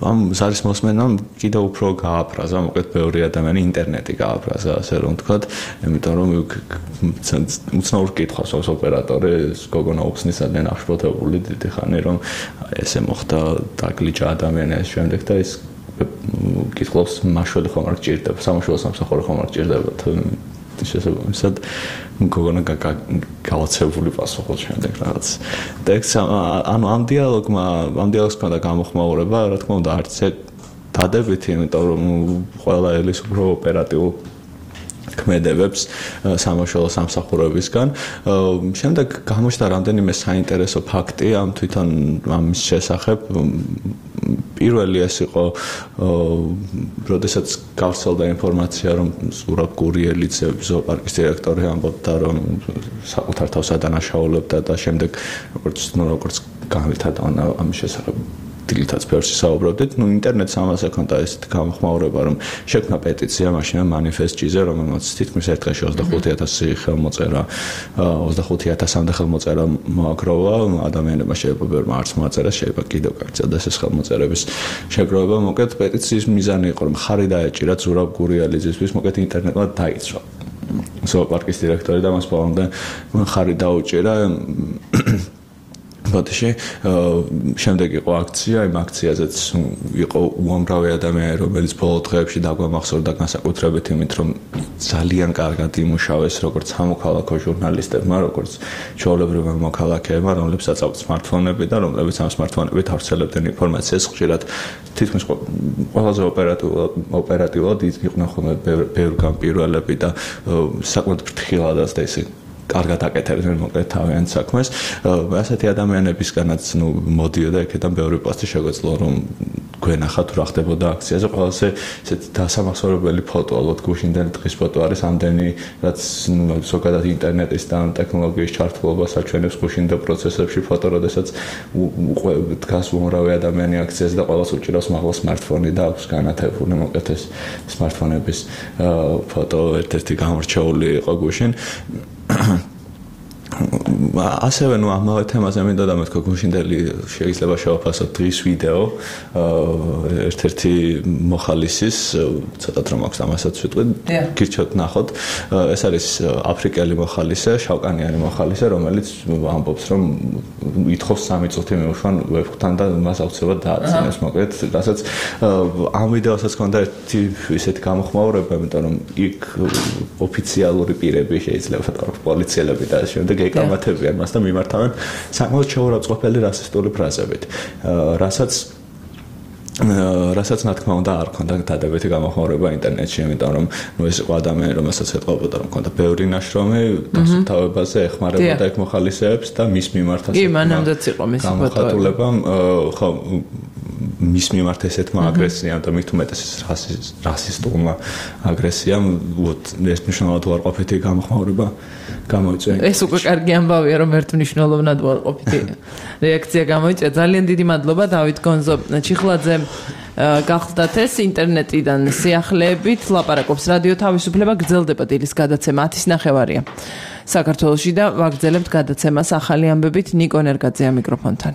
ამ ზარის მოსმენამ კიდევ უფრო გააფრაზა, მოკლედ ბევრი ადამიანი ინტერნეტი გააფრაზა, ასე რომ ვთქვათ, იმიტომ რომ უცნაურ კითხვას აქვს ოპერატორი, გოგონა უხსნის ძალიან აღშფოთებული დიდი ხანი, რომ ესე მოხდა დაგლიჯა ადამიანი ეს შემდეგ და ის კითხავს მაშველი ხომ არ გჭირდება, სამშობლო სამსახური ხომ არ გჭირდება შესაბამისად გოგონა გავაცებული პასუხობს შემდეგ რაღაც. და ანუ ამ დიალოგს ქონდა გამოხმაურება, რა თქმა უნდა, არც დადებითი, იმიტომ რომ ყველა ელის უფრო ოპერატიულ ქმედებებს სამშობლო სამსახურებისგან. შემდეგ გამოჩნდა რამდენიმე საინტერესო ფაქტი ამ თვითონ ამის შესახებ. პირველი ეს იყო, როდესაც გავრცელდა ინფორმაცია, რომ ზურაბ გურიელიძე ზოოპარკის დირექტორი ამბობდა, რომ საკუთარ თავს ადანაშაულებდა და შემდეგ როგორც განვითარდა ამის შესახებ დილითაც ფერში საუბრობდით. ინტერნეტს ამას ეკონდა ესეთი გამოხმაურება, რომ შექმნა პეტიცია მაშინ მანიფესტჭიზე, რომელმაც თითქმის ერთ დღეში 25,000 ხელმოწერა, 25,000-მდე ხელმოწერა მოაგროვა. ადამიანებმა შეიძლება ბევრმა არც მოაწერა, შეიძლება კიდევ გაგრძელდეს ეს ხელმოწერების შეგროვება. მოკლედ პეტიციის მიზანი იყო, რომ ხარი დაეჭირა ზურაბ გურიელიძისთვის, მოკლედ ინტერნეტმა დაიცვა ზოოპარკის დირექტორი და მას ბოლომდე ხარი დაუჭირა. ბოდიში შემდეგ იყო აქცია, იმ აქციაზეც იყო უამრავი ადამიანი, რომელიც ბოლო დღეებში დაგვამახსოვრდა განსაკუთრებით იმით, რომ ძალიან კარგად იმუშავეს როგორც სამოქალაქო ჟურნალისტებმა, როგორც ჩვეულებრივმა მოქალაქეებმა, რომლებსაც აქვთ სმარტფონები და რომლებიც ამ სმარტფონებით ავრცელებდნენ ინფორმაციას ხშირად თითქმის ყველაზე ოპერატიულად იყვნენ ხოლმე ბევრგან პირველები და საკმაოდ ფრთხილებადაც და ისე კარგად აკეთებდნენ მოკლედ თავიანთ საქმეს. ასეთი ადამიანებისგანაც მოდიოდა იქიდან ბევრი პოსტი შეგვეძლო რომ გვენახა თუ რა ხდებოდა აქციაზე. ყველაზე ესეთ დასამახსოვრებელი ფოტო ალბათ გუშინდელი დღის ფოტო არის ამდენი რაც ზოგადად ინტერნეტის და ტექნოლოგიის ჩართულობას აჩვენებს გუშინდა პროცესებში ფოტო, როდესაც დგას უამრავი ადამიანი აქციაზე და ყველას უჭირავს მაღლა smartphone და აქვს განათებული მოკლედ ეს smartphone-ების ფოტო ერთ-ერთი გამორჩეული იყო გუშინ. ასევე ამავე თემაზე მინდა დამეთქვა გუშინდელი შეიძლება შევაფასოთ დღის ვიდეო ერთ-ერთი მოხალისის ცოტა რომ აქვს ამასაც ვიტყვი გირჩევთ ნახოთ ეს არის აფრიკელი მოხალისე შავკანიანი მოხალისე რომელიც ამბობს რომ ითხოვს 3 წუთი მეუშვან ვებთან და მას აუცილებლად დააწინოს მოკლედ რასაც ამ ვიდეოსაც ჰქონდა ერთი ისეთი გამოხმაურება იმიტომ რომ იქ ოფიციალური პირები შეიძლება პოლიციელები და შემდეგ ეკამათებიან მას და მიმართავენ საკმაოდ შეურაცხყოფელი რასისტული ფრაზებით რასაც რა თქმა უნდა არ ქონდა დადებითი გამოხმაურება ინტერნეტში იმიტომ რომ ეს იყო ადამიანი რომელსაც ეთყობოდა რომ ქონდა ბევრი ნაშრომი დასუფთავებაზე ეხმარებოდა ეგ მოხალისეებს და მის მიმართაც კი მანამდეც იყო მისი გამოხატულებამ ხო მის მიმართ ესეთმა აგრესიამ და მით უმეტეს რასისტულმა აგრესიამ ეს მნიშვნელოვნად უარყოფითი გამოხმაურება გამოიწვია. ეს უკვე კარგი ამბავია რომ ერთმნიშვნელოვნად უარყოფითი რეაქცია გამოიწვია. ძალიან დიდი მადლობა დავით გონზო ჩიხლაძე გახლდათ ეს ინტერნეტიდან სიახლეებით ლაპარაკობს რადიო თავისუფლება გრძელდება დილის გადაცემა 10:30-ია საქართველოში და ვაგრძელებთ გადაცემას ახალი ამბებით ნიკო ნერგაძეა მიკროფონთან.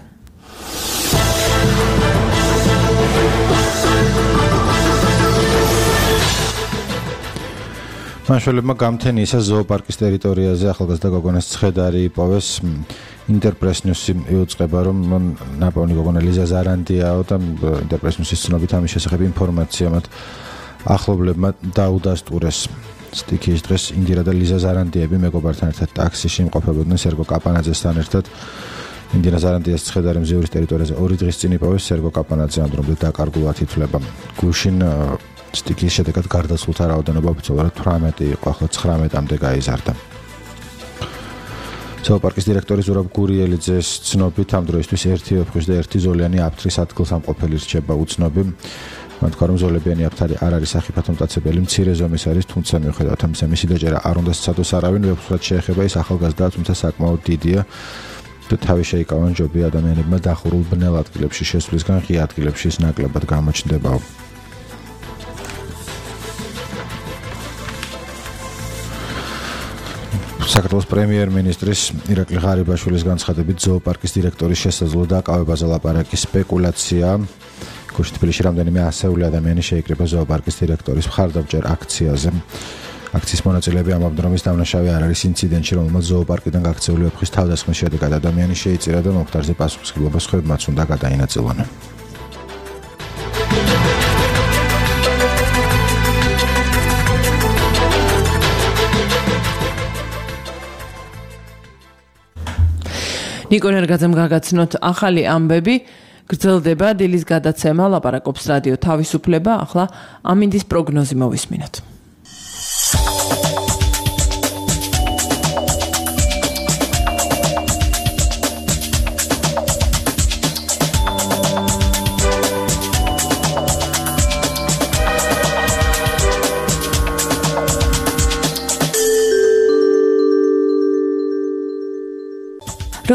მაშველებმა გამთენიისა ზოოპარკის ტერიტორიაზე ახალგაზრდა გოგონას ცხედარი იპოვეს. ინტერპრეს-ნიუსი იუწყება რომ ნაპოვნი გოგონა ლიზა ზარანდიაო და ინტერპრეს-ნიუსის ცნობით ამის შესახებ ინფორმაცია მათ ახლობლებმა დაუდასტურეს. სტიქიის დღეს ინდირა და ლიზა ზარანდიები მეგობართან ერთად ტაქსიში იმყოფებოდნენ სერგო კაპანაძესთან ერთად. ინდირა ზარანდიას ცხედარი მზიურის ტერიტორიაზე 2 დღის წინ იპოვეს სერგო კაპანაძე ამ დრომდე დაკარგულად ითვლება. გუშინ სტიქიის შედეგად გარდაცვლილთა რაოდენობა ოფიციალურად 18 იყო, ახლა 19-მდე გაიზარდა. ზოოპარკის დირექტორი ზურაბ გურიელიძეს ცნობით ამ დროისთვის 1 ვეფხვის და 1 ზოლიანი აფთრის ადგილსამყოფელი რჩება უცნობი. მათ თქვა რომ ზოლებიანი აფთარი არ არის სახიფათო მტაცებელი, მცირე ზომის არის, თუმცა მიუხედავად ამისა მისი დაჯერა არ უნდა სცადოს არავინ, ვეფხვად შეეხება ის ახალგაზრდაა, თუმცა საკმაოდ დიდია. და თავი შეიკავან ჯობია ადამიანებმა დახურულ ბნელ ადგილებში შესვლისგან ღია ადგილებში ის ნაკლებად გამოჩნდებაო. საქართველოს პრემიერ-მინისტრის ირაკლი ღარიბაშვილის განცხადებით ზოოპარკის დირექტორის შესაძლო დაკავებაზე ლაპარაკი სპეკულაცია. გუშინ თბილისში რამდენიმე ასეული ადამიანი შეიკრიბა ზოოპარკის დირექტორის მხარდამჭერ აქციაზე. აქციის მონაწილეები ამბობდნენ რომ ის დამნაშავე არ არის ინციდენტში, რომელმაც ზოოპარკიდან გაქცეული ვეფხვის თავდასხმის შედეგად ადამიანი შეიწირა და მომხდარზე პასუხისმგებლობას ხვებმაც უნდა გადაინაწილონ. ნიკო ნერგაძემ გაგაცნოთ ახალი ამბები გრძელდება დილის გადაცემა ლაპარაკობს რადიო თავისუფლება ახლა ამინდის პროგნოზი მოვისმინოთ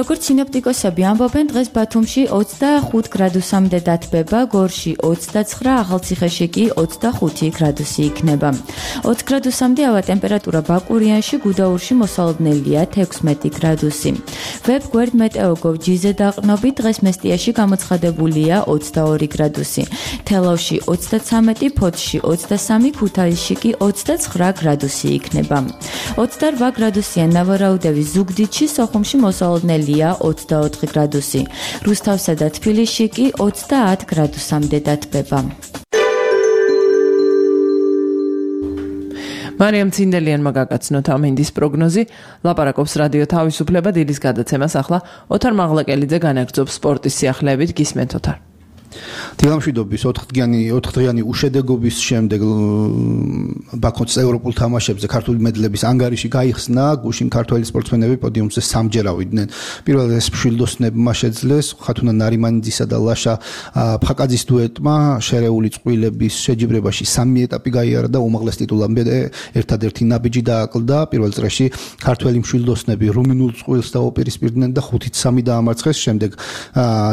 როგორც სინოპტიკოსები ამბობენ, დღეს ბათუმში 25 გრადუსამდე დათბება, გორში 29, ახალციხეში კი 25 გრადუსი იქნება. 20 გრადუსამდე ავა ტემპერატურა ბაკურიანში, გუდაურში მოსალოდნელია 16 გრადუსი. ვებგვერდ მეტეოგოვ ჯიზე დაყრდნობით დღეს მესტიაში გამოცხადებულია 22 გრადუსი. თელავში 33, ფოთში 23, ქუთაისში კი 29 გრადუსი იქნება. 28 გრადუსიან ნავარაუდევის ზუგდიდში, სოხუმში მოსალოდნელია 24 გრადუსი. რუსთავსა და თბილისში კი 30 გრადუსამდე დათბება. მარიამ ცინდელიანმა გაგაცნოთ ამინდის პროგნოზი, ლაპარაკობს რადიო თავისუფლება დილის გადაცემას ახლა ოთარ მაღლაკელიძე განაგრძობს სპორტის სიახლეებით გისმენთ ოთარ. დილამშვიდობის 4დღიანი უშედეგობის შემდეგ ბაქოს ევროპულ თამაშებზე ქართული მედლების ანგარიში გაიხსნა, გუშინ ქართველი სპორტსმენები პოდიუმზე სამჯერ ავიდნენ. პირველ ეს მშვილდოსნებმა შეძლეს ხათუნა ნარიმანიძისა და ლაშა ფხაკაძის დუეტმა შერეული წყვილების შეჯიბრებაში 3 ეტაპი გაიარა და უმაღლეს ტიტულამდე ერთადერთი ნაბიჯი დააკლდა. პირველ წრეში ქართველი მშვილდოსნები რუმინულ წყვილს დაუპირისპირდნენ და 5-3 დაამარცხეს. შემდეგ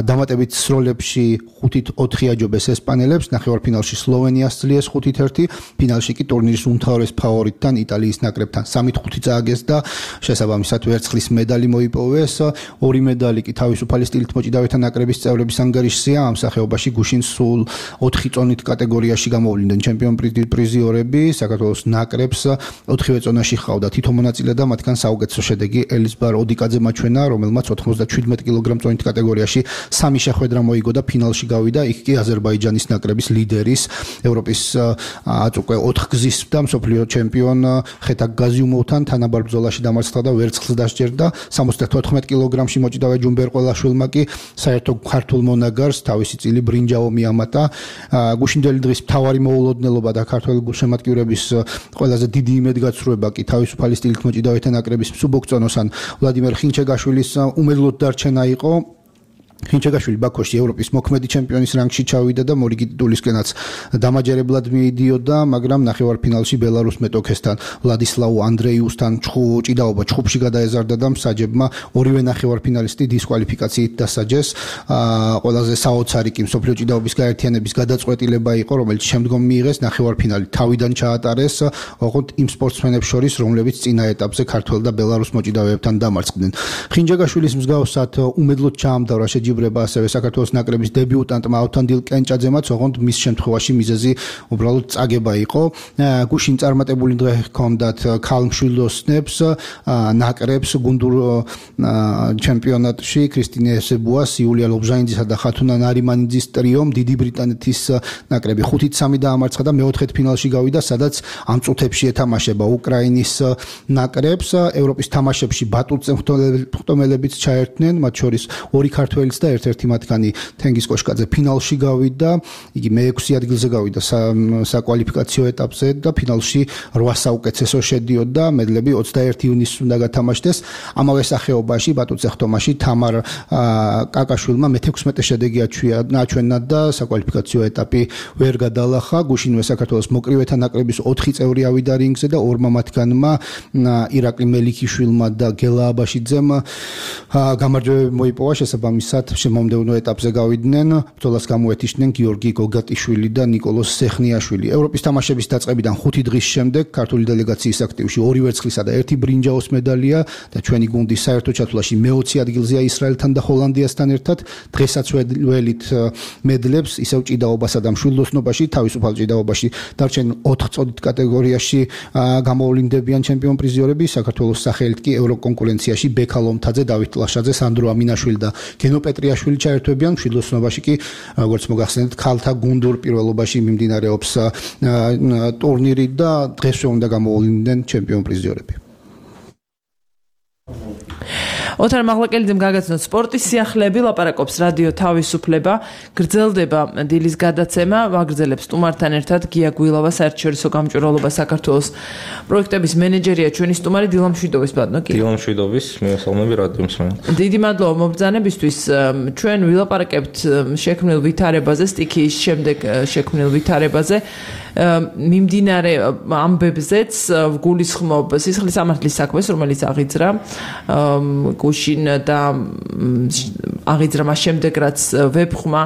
დამატებით სროლებში 5-4 აჯობეს ესპანელებს, ნახევარფინალში სლოვენიას ძლიეს 5-1, ფინალში კი ტურნირის უმთავრეს ფავორიტთან იტალიის ნაკრებთან 3-5 წააგეს და შესაბამისად ვერცხლის медаლი მოიპოვეს. 2 медаლი კი თავისუფალი სტილით მოჭიდავეთა ნაკრების წევრების ანგარიშზეა. ამ სახეობაში გუშინ სულ 4 წონით კატეგორიაში გამოვლიდნენ ჩემპიონ პრიზიორები. საქართველოს ნაკრებს 4 წონაში ჰყავდა თითო მონაწილე და მათგან საუკეთესო შედეგი ელიზბარ ოდიკაძე მაჩვენა, რომელმაც 97 კილოგრამ წონით კატეგორიაში 3 შეხვედრა მოიგო და ფინალში გავიდა. იქ კი აზერბაიჯანის ნაკრების ლიდერის ევროპის აწუკვე 4 გზის და მსოფლიო ჩემპიონ ხეთაკ გაზიუმოვთან თანაბარ ბრძოლაში დამარცხდა და ვერცხლს დასჯერდა. 74 კილოგრამში მოჭიდავე ჯუმბერ ყველაშვილმა კი საერთო ქართულ მონაგარს თავისი წილი ბრინჯაო მიამატა. გუშინდელი დღის მთავარი მოულოდნელობა და ქართველი გულშემატკივრების ყველაზე დიდი იმედგაცრუება კი თავისუფალი სტილით მოჭიდავეთა ნაკრების მსუბუქწონოსან ვლადიმერ ხინჩეგაშვილის უმედლოდ დარჩენა იყო. ხინჩეგაშვილი ბაქოში ევროპის მოქმედი ჩემპიონის რანგში ჩავიდა და მორიგი ტიტულისკენაც დამაჯერებლად მიიდიოდა, მაგრამ ნახევარფინალში ბელარუს მეტოქესთან ვლადისლავ ანდრეიუსთან ჭიდაობა ჩხუბში გადაეზარდა და მსაჯებმა ორივე ნახევარფინალისტი დისკვალიფიკაციით დასაჯეს. ყველაზე საოცარი კი მსოფლიო ჭიდაობის გაერთიანების გადაწყვეტილება იყო, რომელიც შემდგომ მიიღეს ნახევარფინალი თავიდან ჩაატარეს, ოღონდ იმ სპორტსმენებს შორის, რომლებიც წინა ეტაპზე ქართველ და ბელარუს მოჭიდავეებთან დამარცხდნენ. ხინჩეგაშვილის მსგავსად უმედლოდ ჩაამდავრა შეჯიბრება ასევე საქართველოს ნაკრების დებიუტანტმა ავთანდილ კენჭაძემაც, ოღონდ მის შემთხვევაში მიზეზი უბრალოდ წაგება იყო. გუშინ წარმატებული დღე ჰქონდათ ქალმშვილდოსნებს, ნაკრებს გუნდურ ჩემპიონატში ქრისტინე ესებუას, იულია ლობჟანიძისა და ხათუნა ნარიმანიძის ტრიომ დიდი ბრიტანეთის ნაკრები 5-3 დაამარცხა და მეოთხედ ფინალში გავიდა, სადაც ამ წუთებში ეთამაშება უკრაინის ნაკრებს. ევროპის თამაშებში ბატულზე მხტომელებიც ჩაერთნენ, მათ შორის 2 ქართველი და ერთ-ერთი მათგანი თენგიზ კოშკაძე ფინალში გავიდა. იგი მე-6 ადგილზე გავიდა საკვალიფიკაციო ეტაპზე და ფინალში 8 საუკეთესო შედიოდა. მედლები 21 ივნისს უნდა გათამაშდეს. ამავე სახეობაში ბატუცე ხტომაში თამარ კაკაშვილმა მე-16 შედეგი აჩვენა და საკვალიფიკაციო ეტაპი ვერ გადალახა. გუშინვე საქართველოს მოკრივეთა ნაკრების 4 წევრი ავიდა რინგზე და 2 მათგანმა ირაკლი მელიქიშვილმა და გელა აბაშიძემ გამარჯვებები მოიპოვა. შესაბამისად შემომდევნო ეტაპზე გავიდნენ. ბრძოლას გამოეთიშნენ გიორგი გოგატიშვილი და ნიკოლოზ სეხნიაშვილი. ევროპის თამაშების დაწყებიდან 5 დღის შემდეგ ქართული დელეგაციის აქტივში 2 ვერცხლისა და 1 ბრინჯაოს მედალია და ჩვენი გუნდი საერთო ჩათვლაში მე-20 ადგილზეა ისრაელთან და ჰოლანდიასთან ერთად. დღესაც ველით მედლებს ისევ ჭიდაობასა და მშვილდოსნობაში, თავისუფალ ჭიდაობაში დარჩენილ 4 წოდით კატეგორიაში გამოვლინდებიან ჩემპიონ პრიზიორები. საქართველოს სახელით კი ევროკონკურენციაში ბექა ლომთაძე, დავით ლაშაძე, სანდრო ამინაშვილი და გენო პეტრიაშვილი ჩაერთვებიან. მშვილდოსნობაში კი როგორც მოგახსენეთ, ქალთა გუნდურ პირველობაში მიმდინარეობს ტურნირი და დღესვე უნდა გამოვლიდნენ ჩემპიონ პრიზიორები. ოთარ მაღლაკელიძემ გაგაცნოთ სპორტის სიახლეები, ლაპარაკობს რადიო თავისუფლება. გრძელდება დილის გადაცემა, ვაგრძელებს სტუმართან ერთად გია გვილავა, საერთაშორისო გამჭვირვალობა საქართველოს პროექტების მენეჯერია, ჩვენი სტუმარი დილამშვიდობის ბატონო გია. დილამშვიდობის, მოგესალმები რადიო მსმენელს. დიდი მადლობა მობრძანებისთვის. ჩვენ ვილაპარაკებთ შექმნილ ვითარებაზე, სტიქიის შემდეგ შექმნილ ვითარებაზე. მიმდინარე ამბებზეც გულისხმობ სისხლის სამართლის საქმეს, რომელიც აღიძრა გუშინ და აღიძრა მას შემდეგ, რაც ვებხმა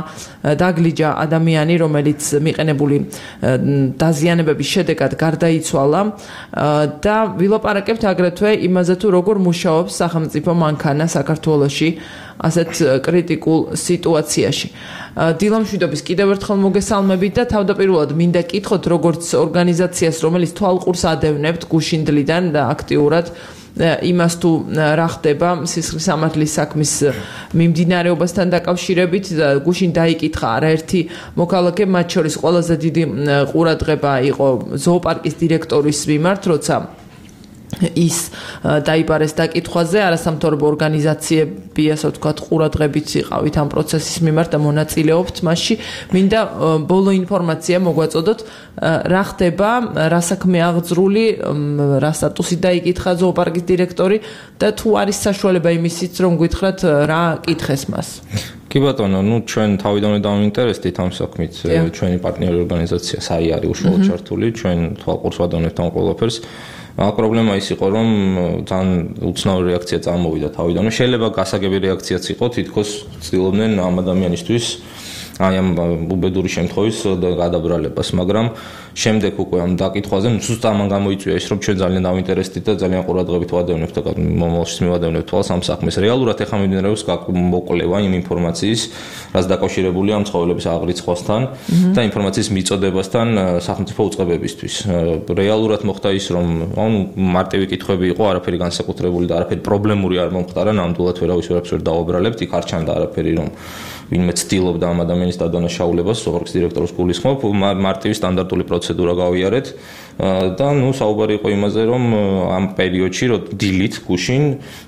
დაგლიჯა ადამიანი, რომელიც მიყენებული დაზიანებების შედეგად გარდაიცვალა და ვილაპარაკებთ აგრეთვე იმაზე, თუ როგორ მუშაობს სახელმწიფო მანქანა საქართველოში ასეთ კრიტიკულ სიტუაციაში. დილამშვიდობის კიდევ ერთხელ მოგესალმებით და თავდაპირველად მინდა კითხოთ, როგორც ორგანიზაციას, რომელიც თვალყურს ადევნებთ გუშინდლიდან და აქტიურად იმას თუ რა ხდება სისხლის სამართლის საქმის მიმდინარეობასთან დაკავშირებით. გუშინ დაიკითხა არაერთი მოქალაქე, მათ შორის ყველაზე დიდი ყურადღება იყო ზოოპარკის დირექტორის მიმართ, როცა ის დაიბარეს დაკითხვაზე, არასამთავრობო ორგანიზაციები, ასე ვთქვათ, ყურადღებით იყავით ამ პროცესის მიმართ და მონაწილეობთ მასში. მინდა ბოლო ინფორმაცია მოგვაწოდოთ, რა ხდება, რა საქმე აღძრული, რა სტატუსი დაიკითხა ზოოპარკის დირექტორი და თუ არის საშუალება იმისიც, რომ გითხრათ რა კითხეს მას. კი ბატონო, ჩვენ თავიდანვე დავინტერესდით ამ საქმით, ჩვენი პარტნიორი ორგანიზაცია SAI არის უშუალოდ ჩართული, ჩვენ თვალყურს ვადევნებთ ამ ყველაფერს. პრობლემა ის იყო, რომ ძალიან უცნაური რეაქცია წამოვიდა თავიდანვე. შეიძლება გასაგები რეაქციაც იყო, თითქოს ცდილობდნენ ამ ადამიანისთვის აი ამ უბედური შემთხვევის გადაბრალებას, მაგრამ შემდეგ უკვე ამ დაკითხვაზე ზუსტ ამან გამოიწვია ის, რომ ჩვენ ძალიან დავინტერესდით და ძალიან ყურადღებით ვადევნებთ და მომავალშიც მივადევნებთ თვალს ამ საქმეს. რეალურად ეხლა მიმდინარეობს მოკვლევა იმ ინფორმაციის, რაც დაკავშირებულია ამ ცხოველების აღრიცხვასთან და ინფორმაციის მიწოდებასთან სახელმწიფო უწყებებისთვის. რეალურად მოხდა ის, რომ მარტივი კითხვები იყო, არაფერი განსაკუთრებული და არაფერი პრობლემური არ მომხდარა, ნამდვილად ვერავის ვერ დავუბრალებთ, იქ არ ჩანდა არაფერი, რომ ვინმე ცდილობდა ამ ადამიანის დადანაშაულებას, ზოოპარკის დირექტორის გულისხმობ, მარტივი სტანდარტული პროცედურა გავიარეთ და საუბარი იყო იმაზე, რომ ამ პერიოდში, რომ დილით გუშინ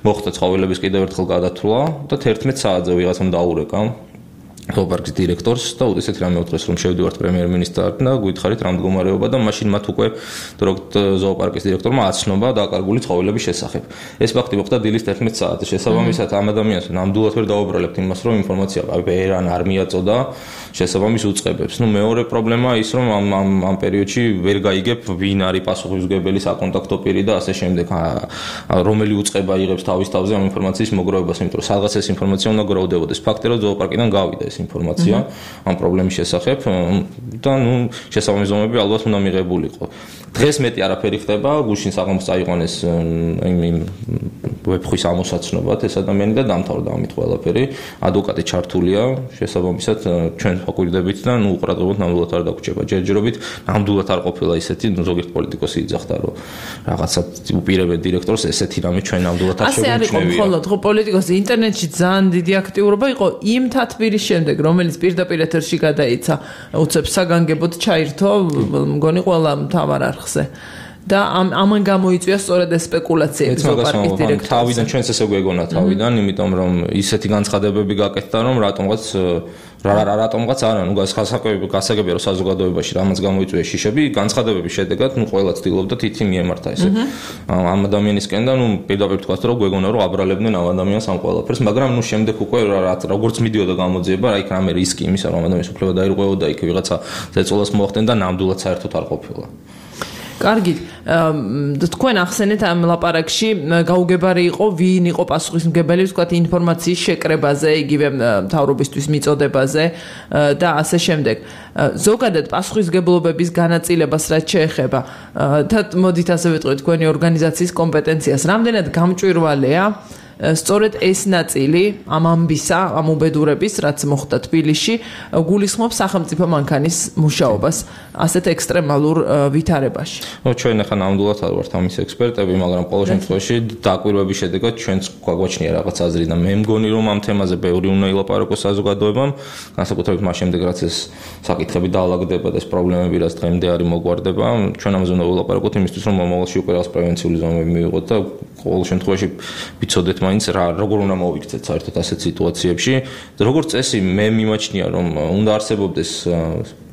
მოხდა ცხოველების კიდევ ერთხელ გადათვლა და 11 საათზე ვიღაცამ დაურეკა ზოოპარკის დირექტორს და ესეთი რამე უთხრეს, რომ შევდივართ პრემიერ-მინისტრთან და გითხარით რა მდგომარეობა და მაშინ მათ უკვე ზოოპარკის დირექტორმა აცნობა დაკარგული ცხოველების შესახებ. ეს ფაქტი მოხდა დილის 11 საათზე. შესაბამისად ამ ადამიანს ნამდვილად ვერ დავუბრალებთ იმას, რომ ინფორმაცია ვერან არ მიაწოდა შესაბამის უწყებებს. მეორე პრობლემაა ის, რომ ამ პერიოდში ვერ გაიგებ ვინ არის პასუხისმგებელი საკონტაქტო პირი და ასე შემდეგ, რომელი უწყება იღებს თავის თავზე ამ ინფორმაციის მოგროვებას, იმიტომ რომ სადღაც ეს ინფორმაცია უნდა გროვდებოდეს. ფაქტია, რომ ზოოპარკიდან გავიდა ინფორმაცია ამ პრობლემის შესახებ და შესაბამის ზომები ალბათ უნდა მიღებულიყო. დღეს მეტი არაფერი ხდება, გუშინ საღამოს წაიყვანეს იმ ვებხვის ამოსაცნობად ეს ადამიანი და დამთავრდა ამით ყველაფერი. ადვოკატი ჩართულია, შესაბამისად ჩვენ ვაკვირდებით და უყურადღებოდ ნამდვილად არ დაგვრჩება. ჯერჯერობით ნამდვილად არ ყოფილა ისეთი, ზოგიერთ პოლიტიკოსი იძახდა, რომ რაღაცა უპირებენ დირექტორს, ესეთი რამე ჩვენ ნამდვილად არ შეგვიძლია. ასე არის მხოლოდ ხო პოლიტიკოსი ინტერნეტში ძალიან დიდი აქტიურობა იყო იმ თათბირის შემდეგ, რომელიც პირდაპირ ეთერში გადაიცა, უცებ საგანგებოდ ჩაირთო, მგონი ყველა მთავარ არხზე. და ამან გამოიწვია სწორედ ეს სპეკულაციები ზოოპარკის დირექტორის. თავიდან ჩვენც ესე გვეგონა თავიდან, იმიტომ რომ ისეთი განცხადებები გაკეთდა, რომ რატომღაც არა, გასაგებია რომ საზოგადოებაში რამაც გამოიწვია შიშები, განცხადებების შედეგად ყველა ცდილობდა თითი მიემართა ესე. ამ ადამიანისკენ და პირდაპირ თქვა რომ გვეგონა რომ აბრალებდნენ ამ ადამიანს ამ ყველაფერს, მაგრამ შემდეგ უკვე როგორც მიდიოდა გამოძიება, აი რამე რისკი იმისა რომ ადამიანის უფლება დაირღვეოდა, იქ ვიღაცა ზეწოლას მოახდენ და ნამდვილად საერთოდ არ ყოფილა. კარგი, თქვენ ახსენეთ ამ ლაპარაკში გაუგებარი იყო ვინ იყო პასუხისმგებელი, ვთქვათ, ინფორმაციის შეკრებაზე, იგივე მთავრობისთვის მიწოდებაზე და ასე შემდეგ. ზოგადად პასუხისმგებლობების განაწილებას რაც შეეხება და მოდით ასე ვიტყვით თქვენი ორგანიზაციის კომპეტენციას, რამდენად გამჭვირვალეა სწორედ ეს ნაწილი ამ ამბისა, ამ უბედურების, რაც მოხდა თბილისში, გულისხმობს სახელმწიფო მანქანის მუშაობას ასეთ ექსტრემალურ ვითარებაში. ჩვენ ახლა ნამდვილად არ ვართ ამის ექსპერტები, მაგრამ ყოველ შემთხვევაში დაკვირვების შედეგად ჩვენც გვაგვაჩნია რაღაც აზრი და მე მგონი რომ ამ თემაზე ბევრი უნდა ილაპარაკოს საზოგადოებამ, განსაკუთრებით მას შემდეგ რაც ეს საკითხები დაალაგდება და ეს პრობლემები რაც დღემდე არის მოგვარდება, ჩვენ ამაზე უნდა ვილაპარაკოთ იმისთვის რომ მომავალში უკვე რაღაც პრევენციული ზომები მივიღოთ და ყოველ შემთხვევაში ვიცოდეთ მაინც როგორ უნდა მოვიქცეთ საერთოდ ასეთ სიტუაციებში. როგორც წესი მე მიმაჩნია რომ უნდა არსებობდეს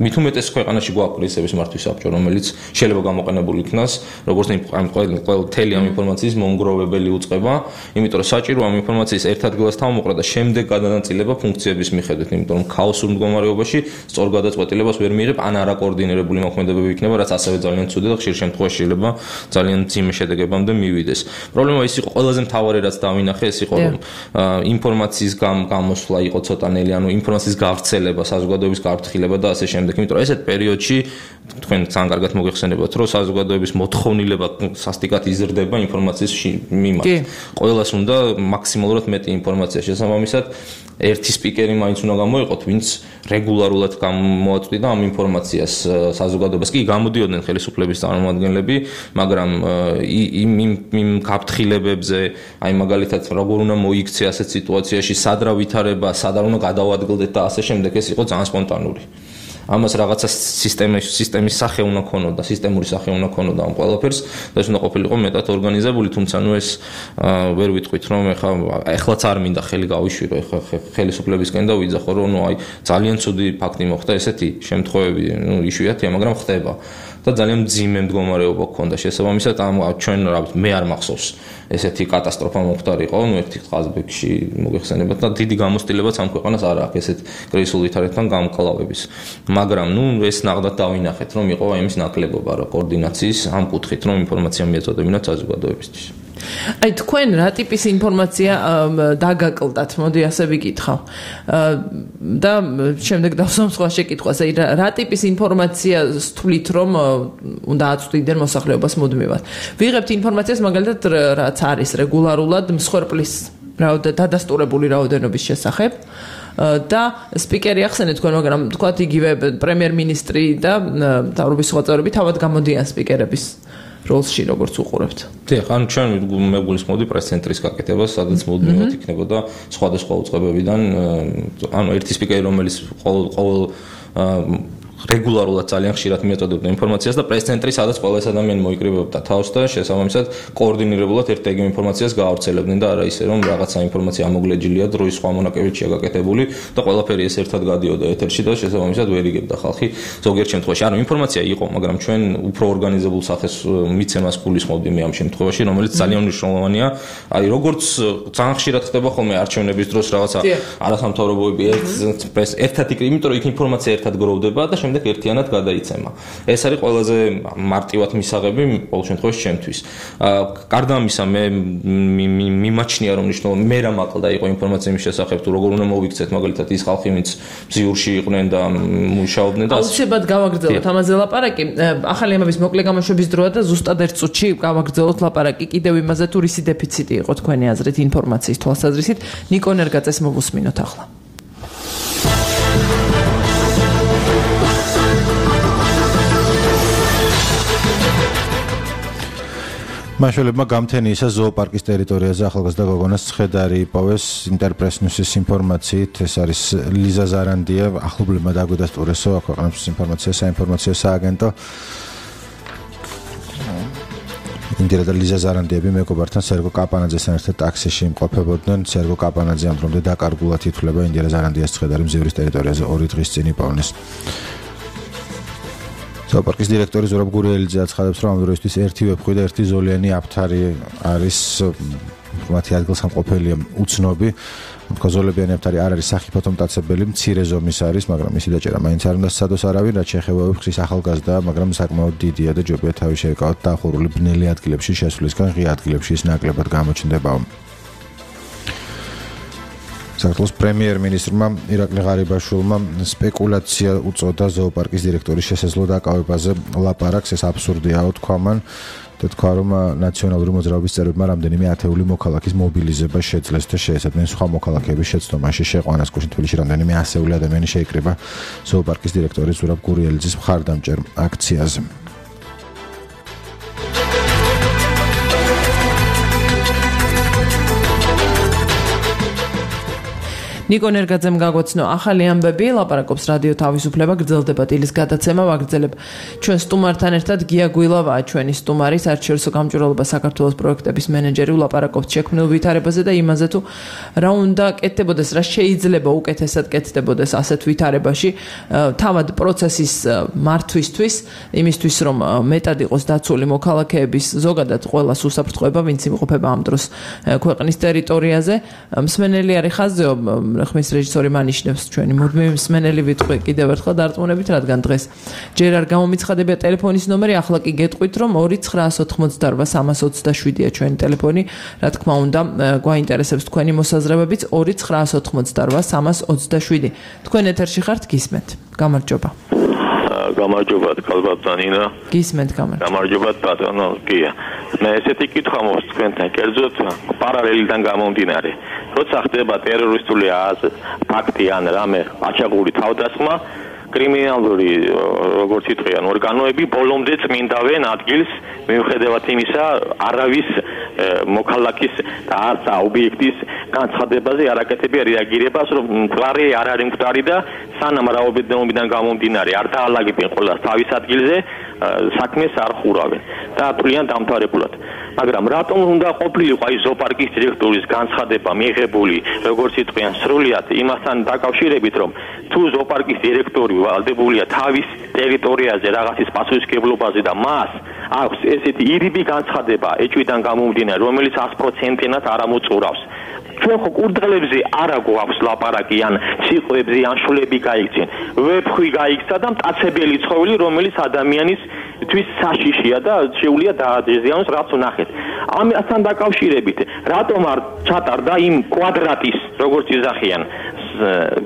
მით უმეტეს ქვეყანაში გვაქვს კრიზისების მართვის საბჭო, რომელიც შეიძლება გამოყენებული იქნას, როგორც მთელი ამ ინფორმაციის მომგროვებელი უწყება, იმიტომ რომ საჭირო ამ ინფორმაციის ერთ ადგილას თავმოყრა და შემდეგ გადანაწილება ფუნქციების მიხედვით, იმიტომ რომ ქაოსურ მდგომარეობაში სწორ გადაწყვეტილებას ვერ მიიღებ, ან არაკოორდინირებული მოქმედებები იქნება, რაც ასევე ძალიან ცუდი და ხშირ შემთხვევაში შეიძლება ძალიან მძიმე შედეგებამდე მივიდეს. პრობლემა ის იყო ყველაზე მთავარი რაც დავინახე, ეს იყო რომ ინფორმაციის გამოსვლა იყო ცოტანელი, ანუ ინფორმაციის გავრცელება, საზოგადოების გაფრთხილება და ასე შემდეგ. იმიტომ რომ ესეთ პერიოდში თქვენ ძალიან კარგად მოგეხსენებათ, რომ საზოგადოების მოთხოვნილება სასტიკად იზრდება ინფორმაციის მიმართ. ყველას უნდა მაქსიმალურად მეტი ინფორმაცია შესაბამისად ერთი სპიკერი მაინც უნდა გამოიყოთ, ვინც რეგულარულად გამოაწვდიდა ამ ინფორმაციას საზოგადოებას. კი გამოდიოდნენ ხელისუფლების წარმომადგენლები, მაგრამ იმ გაფრთხილებებზე, აი მაგალითად როგორ უნდა მოიქცე ასეთ სიტუაციაში, სად რა ვითარება, სად არ უნდა გადავადგილდეთ და ასე შემდეგ, ეს იყო ძალიან სპონტანური. ამას რაღაცა სისტემის სახე უნდა ქონოდა, სისტემური სახე უნდა ქონოდა ამ ყველაფერს და ეს უნდა ყოფილიყო მეტად ორგანიზებული, თუმცა ნუ ეს ვერ ვიტყვით რომ ეხლაც არ მინდა ხელი გავიშვირო ხელისუფლებისკენ და ვიძახო რომ აი ძალიან ცუდი ფაქტი მოხდა ესეთი შემთხვევები იშვიათია, მაგრამ ხდება და ძალიან მძიმე მდგომარეობა გქონდა შესაბამისად ამ ჩვენ მე არ მახსოვს ესეთი კატასტროფა მომხდარიყო ერთი ყაზბეგში მოგეხსენებათ და დიდი გამოცდილებაც ამ ქვეყანას არ აქვს ესეთ კრიზისულ ვითარებთან გამკლავების მაგრამ ეს ნახდათ დავინახეთ რომ იყო იმის ნაკლებობა რა კოორდინაციის ამ კუთხით რომ ინფორმაცია მიეწოდებინათ საზოგადოებისთვის აი თქვენ რა ტიპის ინფორმაცია დაგაკლდათ მოდი ასე ვიკითხავ და შემდეგ დავსვამ სხვა შეკითხვას აი რა ტიპის ინფორმაციას თვლით რომ უნდა აწვდიდნენ მოსახლეობას მუდმივად ვიღებთ ინფორმაციას მაგალითად რაც არის რეგულარულად მსხვერპლის დადასტურებული რაოდენობის შესახებ და სპიკერი ახსენეთ თქვენ მაგრამ თქვათ იგივე პრემიერ-მინისტრი და მთავრობის სხვა წევრები თავად გამოდიან სპიკერების როლში როგორც უყურებთ. დიახ, ან ჩვენ მეგულისმოდი პრეს-ცენტრის გაკეთება, სადაც მუდმივად იქნებოდა სხვადასხვა უწყებებიდან, ანუ ერთი სპიკერი, რომელიც ყოველ რეგულარულად ძალიან ხშირად მიაწოდებდა ინფორმაციას და პრეს-ცენტრი, სადაც ყველა ეს ადამიანი მოიკრიბებდა თავს და შესაბამისად კოორდინირებულად ერთ-ერთი ინფორმაციას გაავრცელებდნენ და არა ისე რომ რაღაცა ინფორმაცია ამოგლეჯილია დროის სხვა მონაკებებშია გაკეთებული და ყველაფერი ეს ერთად გადიოდა ეთერში და შესაბამისად ვერ იგებდა ხალხი ზოგიერთ შემთხვევაში. ანუ ინფორმაცია იყო, მაგრამ ჩვენ უფრო ორგანიზებულ სახეს მიცემას გულისხმობდი მე ამ შემთხვევაში, რომელიც ძალიან მნიშვნელოვანია. აი როგორც ძალიან ხშირად ხდება ხოლმე არჩევნების დროს რაღაცა არასამთავრობოები ერთად იქ, იმიტომ რომ იქ ინფორმაცია ერთად გროვდება და შემდეგ ერთიანად გადაიცემა. ეს არის ყველაზე მარტივად მისაღები ყოველ შემთხვევაში ჩემთვის. გარდა ამისა მე მიმაჩნია რომ მნიშვნელოვანი მე რა მაყლდა იყო ინფორმაცია იმის შესახებ თუ როგორ უნდა მოვიქცეთ მაგალითად ის ხალხი ვინც ბზიურში იყვნენ და მუშაობდნენ და აუცილებლად გავაგრძელოთ ამაზე ლაპარაკი. ახალი ამების მოკლე გამოშვების დროა და ზუსტად ერთ წუთში გავაგრძელოთ ლაპარაკი კიდევ იმაზე თუ რისი დეფიციტი იყო თქვენი აზრით ინფორმაციის თვალსაზრისით. ნიკო ნერგაძეს მოვუსმინოთ ახლა. მაშველებმა გამთენიისა ზოოპარკის ტერიტორიაზე ახალგაზრდა გოგონას ცხედარი იპოვეს ინტერპრეს-ნიუსის ინფორმაციით ეს არის ლიზა ზარანდია ახლობლებმა დაგვიდასტურესო აქვეყნებს ინფორმაციას საინფორმაციო სააგენტო ინტერა და ლიზა ზარანდიები მეგობართან სერგო კაპანაძესთან ერთად ტაქსიში იმყოფებოდნენ სერგო კაპანაძე ამ დრომდე დაკარგულად ითვლება ინტერა ზარანდიას ცხედარი მზივრის ტერიტორიაზე 2 დღის წინ იპოვნეს ზოოპარკის დირექტორი ზურაბ გურიელიძე აცხადებს, რომ ამ დროისთვის ერთი ვეფხვი და ერთი ზოლიანი აფთარი არის მათი ადგილსამყოფელია უცნობი. ზოლებიანი აფთარი არ არის სახიფათო მტაცებელი, მცირე ზომის არის, მაგრამ მისი დაჭერა მაინც არ უნდა სცადოს არავინ, რაც შეეხება ვეფხვის ახალგაზრდა, მაგრამ საკმაოდ დიდია და ჯობია თავი შეეკავოთ დახურული ბნელი ადგილებში შესვლისგან ღია ადგილებში ის ნაკლებად გამოჩნდება. საქართველოს პრემიერ-მინისტრმა ირაკლი ღარიბაშვილმა სპეკულაცია უწოდა ზოოპარკის დირექტორის შესაძლო დაკავებაზე ლაპარაკს ეს აბსურდიაო თქვა მან და თქვა რომ ნაციონალური მოძრაობის წევრებმა რამდენიმე ათეული მოქალაქის მობილიზება შეძლეს და შეესაბამენ სხვა მოქალაქეების შეცდომაში შეყვანას თბილისში რამდენიმე ასეული ადამიანი შეიკრიბა ზოოპარკის დირექტორის ზურაბ გურიელიძის მხარდამჭერ აქციაზე ნიკო ნერგაძემ გაგვაცნო ახალი ამბები, ლაპარაკობს რადიო თავისუფლება, გრძელდება დილის გადაცემა, ვაგრძელებ ჩვენ სტუმართან ერთად გია გვილავაა ჩვენი სტუმარი, საერთაშორისო გამჭვირვალობა საქართველოს პროექტების მენეჯერი, ვლაპარაკობთ შექმნილ ვითარებაზე და იმაზე თუ რა უნდა კეთდებოდეს, რა შეიძლება უკეთესად კეთდებოდეს ასეთ ვითარებაში, თავად პროცესის მართვისთვის, იმისთვის რომ მეტად იყოს დაცული მოქალაქეების ზოგადად ყველას უსაფრთხოება, ვინც იმყოფება ამ დროს ქვეყნის ტერიტორიაზე, მსმენელი არის ხაზეო ხმის რეჟისორი მანიშნებს ჩვენი მუდმივი მსმენელი ვიტყვი კიდევ ერთხელ დარწმუნებით რადგან დღეს ჯერ არ გამომიცხადებია ტელეფონის ნომერი ახლა კი გეტყვით რომ 2988327-ია ჩვენი ტელეფონი რა თქმა უნდა გვაინტერესებს თქვენი მოსაზრებებიც 2988327 თქვენ ეთერში ხართ გისმენთ გამარჯობა გამარჯობათ კალბატანინა გისმენთ გამარჯობათ ბატონო გია მე ესეთი კითხვა მოხს თქვენთან კერძოდ პარალელიდან გამომდინარე როცა ხდება ტერორისტული ფაქტი ან რამე აჩაღური თავდასხმა კრიმინალური როგორც იტყვიან ორგანოები ბოლომდე წმინდავენ ადგილს მიუხედავად იმისა არავის მოქალაქის და არც ობიექტის განცხადებაზე არაკეთებია რეაგირებას, რომ მკვდარი არ არის მკვდარი და სანამ რაოდენობიდან გამომდინარე არ დაალაგებენ ყველას თავის ადგილზე, საქმეს არ ხურავენ და თვლიან დამთავრებულად. მაგრამ რატომ უნდა ყოფილიყო აი ზოოპარკის დირექტორის განცხადება მიღებული, როგორც იტყვიან, სრულიად იმასთან დაკავშირებით, რომ თუ ზოოპარკის დირექტორი ვალდებულია თავის ტერიტორიაზე რაღაცის პასუხისმგებლობაზე და მას აქვს ესეთი ირიბი განცხადება ეჭვიდან გამომდინარე, რომელიც 100%-ად არ ამოწურავს. ჩვენ ხო კურდღელებზე არა გვაქვს ლაპარაკი ან ციყვებზე ან შულები გაიქცენ. ვეფხვი გაიქცა და მტაცებელი ცხოველი, რომელიც ადამიანისთვის საშიშია და შეუძლია დაადეზიანოს, რაც ვნახეთ. ამასთან დაკავშირებით, რატომ არ ჩატარდა იმ კვადრატის, როგორც იზახიან,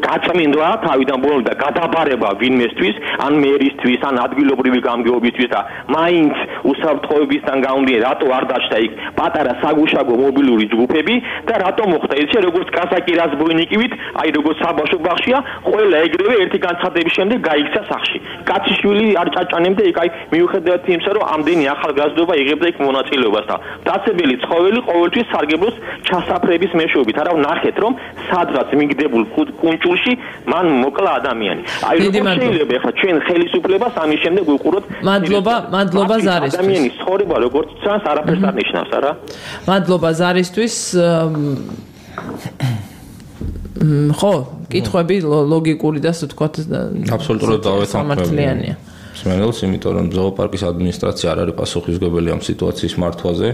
გაწმინდვა თავიდან ბოლომდე და გადაბარება ვინმესთვის, ან მერისთვის, ან ადგილობრივი გამგეობისთვის და მაინც უსაფრთხოებისგან გამომდინარე, რატო არ დაჭდა იქ პატარა საგუშაგო მობილური ჯგუფები და რატო მოხდა ისე, როგორც კაზაკი რაზბოინიკივით, აი როგორც საბავშვო ბაღშია, ყველა ეგრევე ერთი განცხადების შემდეგ გაიქცა სახლში. კაციშვილი არ ჭაჭანემდა იქ, აი მიუხედავად იმისა, რომ ამდენი ახალგაზრდობა იღებდა იქ მონაწილეობას და დაცებელი ცხოველი ყოველთვის სარგებლობს ჩასაფრების მეშვეობით. არა ვნახეთ, რომ სადღაც მიგდებულ კუნჭულში მან მოკლა ადამიანი. აი როგორ შეიძლება ახლა ჩვენ ხელისუფლებას ამის შემდეგ ვიყუროთ? მადლობა ზარისთვის. ადამიანის ცხოვრება როგორც წანს არაფერს არ ნიშნავს, არა? მადლობა ზარისთვის. ხო, კითხვები ლოგიკური და ასე ვთქვათ, აბსოლუტურად დავეთანხმები. სმენელს, იმიტომ რომ ზოოპარკის ადმინისტრაცია არ არის პასუხისმგებელი ამ სიტუაციის მართვაზე.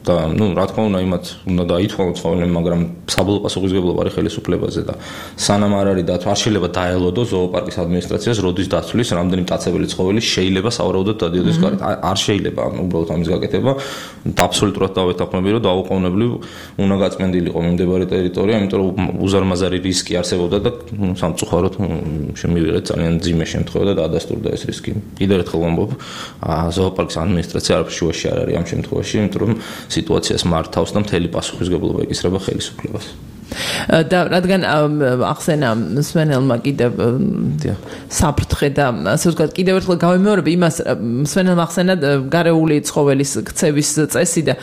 და რა თქმა უნდა იმათ უნდა დაითვალოს ცხოველები, მაგრამ საბოლოო პასუხისმგებლობა არის ხელისუფლებაზე და სანამ არ არის დათვა, არ შეიძლება დაელოდოს ზოოპარკის ადმინისტრაციას, როდის დაცვლის რამდენი მტაცებელი ცხოველი შეიძლება სავარაუდოდ დადიოდეს გარეთ. არ შეიძლება უბრალოდ ამის გაკეთება. აბსოლუტურად დავეთანხმები, რომ დაუყოვნებლივ უნდა გაწმენდილიყო მიმდებარე ტერიტორია, იმიტომ რომ უზარმაზარი რისკი არსებობდა და სამწუხაროდ შემივიღეთ ძალიან მძიმე შემთხვევა და დაადასტურდა ეს რისკი. კიდევ ერთხელ ვამბობ, ზოოპარკის ადმინისტრაცია არაფერ შუაში არ არის ამ შემთხვევაში, იმიტომ რომ სიტუაციას მართავს და მთელი პასუხისმგებლობა ეკისრება ხელისუფლებას. და რადგან ახსენა სვენელმა კიდევ საფრთხე და ასე ვთქვათ კიდევ ერთხელ გავიმეორებ იმას სვენელმა ახსენა გარეული ცხოველის ქცევის წესი და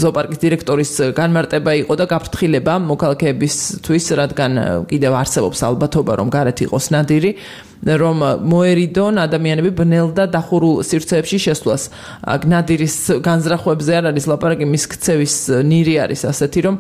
ზოოპარკის დირექტორის განმარტება იყო და გაფრთხილება მოქალაქეებისთვის, რადგან კიდევ არსებობს ალბათობა რომ გარეთ იყოს ნადირი, რომ მოერიდონ ადამიანები ბნელ და დახურულ სივრცეებში შესვლას. ნადირის განზრახვებზე არ არის ლაპარაკი, მის ქცევის ნირი არის ასეთი, რომ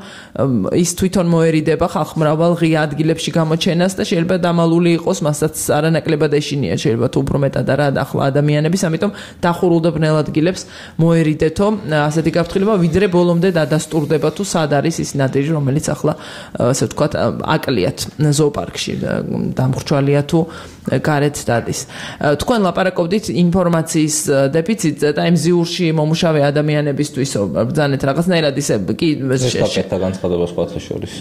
ის თვითონ მოერიდება ხალხმრავალ ღია ადგილებში გამოჩენას და შეიძლება დამალული იყოს, მასაც არანაკლებად ეშინია, შეიძლება თუ უფრო მეტად არა ახლა ადამიანების, ამიტომ დახურულ და ბნელ ადგილებს მოერიდეთო ასეთი გაფრთხილება, ვიდრე ბოლომდე დადასტურდება თუ სად არის ის ნადირი, რომელიც ახლა ასე ვთქვათ აკლიათ ზოოპარკში, დამხრჩვალია თუ გარეთ დადის. თქვენ ლაპარაკობდით ინფორმაციის დეფიციტზე და იმ ზიურში მომუშავე ადამიანებისთვის ბრძანეთ რაღაცნაირად ისე კი გაკეთდა განცხადება სხვათა შორის.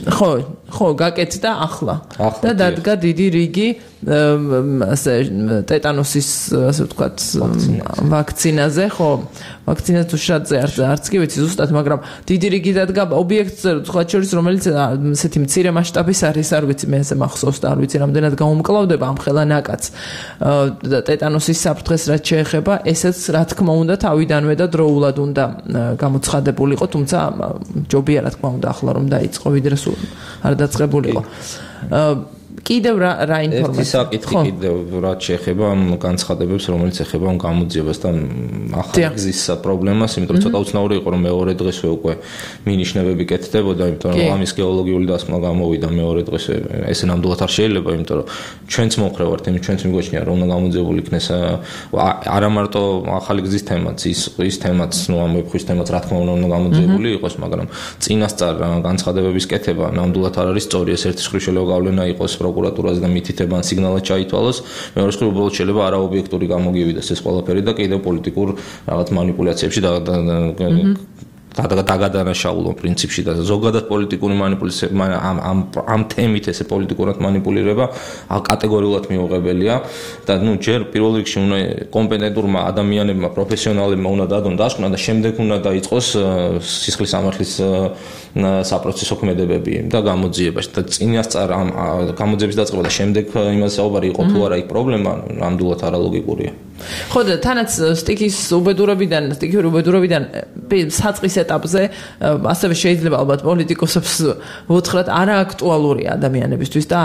ხო, გაკეთდა ახლა. და დადგა დიდი რიგი ასე ტეტანოსის ასე ვთქვათ ვაქცინაზე, ხო, ვაქცინა თუ შრატზე არც კი ვიცი ზუსტად, მაგრამ დიდი რიგი დადგა ობიექტზე, სხვა შორის რომელიც ესეთი მცირე მასშტაბის არის, არ ვიცი, მე ესე მახსოვს და არ ვიცი რამდენად გამომკლავდება ამ ხელა ნაკაც ტეტანოსის საფრთხეს რაც შეეხება, ესეც რა თქმა უნდა თავიდანვე და დროულად უნდა გამოცხადებულიყო, თუმცა ჯობია რა თქმა უნდა ახლა რომ დაიწყო, ვიდრე სულ არ დაწყებულიყო. კიდევ რა ინფორმაცია? ერთი საკითხი კიდევ რაც შეეხება ამ განცხადებებს, რომელიც ეხება ამ გამოძიებას და ახალგზის პრობლემას, იმიტომ რომ ცოტა უცნაური იყო რომ მეორე დღესვე უკვე მინიშნებები კეთდებოდა, იმიტომ რომ ამის გეოლოგიური დასკვნა გამოვიდა მეორე დღესვე. ესე ნამდვილად არ შეიძლება, იმიტომ რომ ჩვენც მომხრე ვართ, ჩვენც მიგვაჩნია რომ უნდა გამოძიებული იქნეს არა მარტო ახალგზის თემაც, ის თემაც, ამ ვეფხვის თემაც რა თქმა უნდა გამოძიებული იყოს, მაგრამ წინასწარ განცხადებების კეთება ნამდვილად არ არის სწორი, ეს ერთი შეხრიშელო გავლენა იყოს პროკურატურაზე და მითითება ან სიგნალად ჩაითვალოს, მეორე მხრივ უბრალოდ შეიძლება არაობიექტური გამოგივიდეს ეს ყველაფერი და კიდევ პოლიტიკურ რაღაც манипуляციებში დაგადანაშაულო პრინციპში და ზოგადად პოლიტიკური манипуляცია ამ თემით ესე პოლიტიკურად манипуლირება კატეგორიულად მიუღებელია და ჯერ პირველ რიგში უნდა კომპეტენტურმა ადამიანებმა, პროფესიონალებმა უნდა დადონ დასკვნა და შემდეგ უნდა დაიწყოს სისხლის სამართლის საპროცესო ქმედებები და გამოძიებაში და წინასწარ ამ გამოძიების დაწყება და შემდეგ იმას საუბარი იყო თუ არა იქ პრობლემა ნამდვილად არალოგიკურია. ხო და თანაც სტიქიური უბედურებიდან საწყის ეტაპზე ასევე შეიძლება ალბათ პოლიტიკოსებს ვუთხრათ არააქტუალური ადამიანებისთვის და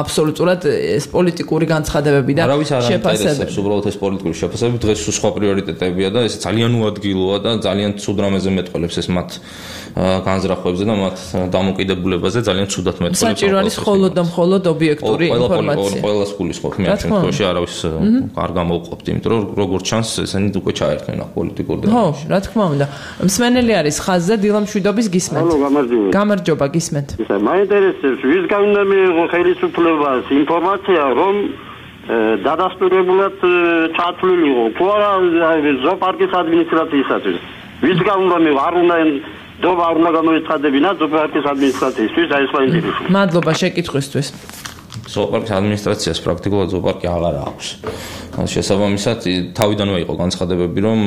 აბსოლუტურად ეს პოლიტიკური განცხადებები და შეფასებები. უბრალოდ ეს პოლიტიკური შეფასებები დღეს სხვა პრიორიტეტებია და ეს ძალიან უადგილოა და ძალიან ცუდ რამეზე მეტყველებს ეს მათ განზრახვებზე და მათ დამოკიდებულებაზე ძალიან ცუდად მეტყველებს. საჭირო არის მხოლოდ და მხოლოდ ობიექტური ინფორმაცია. ყველას გულისხმობ მე ამ შემთხვევაში არავის არ გამოვყოფთ, იმიტომ რომ როგორც ჩანს ესენი უკვე ჩაერთნენ პოლიტიკურ დონეში. ხო, რა თქმა უნდა. მსმენელი არის ხაზზე დილა მშვიდობის გისმენთ. ალო, გამარჯობა. გამარჯობა, გისმენთ. მაინტერესებს ვისგან უნდა მიიღო ხელისუფლებას ინფორმაცია, რომ დადასტურებულად ჩათვლილიყო თუ არა ზოოპარკის ადმინისტრაციისათვის. ვისგან უნდა მიიღო, არ უნდა დობა არ უნდა გამოიცხადებინა ზოოპარკის ადმინისტრაციისთვის, აი ეს მაინტერესებს. მადლობა შეკითხვისთვის. ზოოპარკის ადმინისტრაციას პრაქტიკულად ზოოპარკი აღარ აქვს. შესაბამისად, თავიდანვე იყო განცხადებები, რომ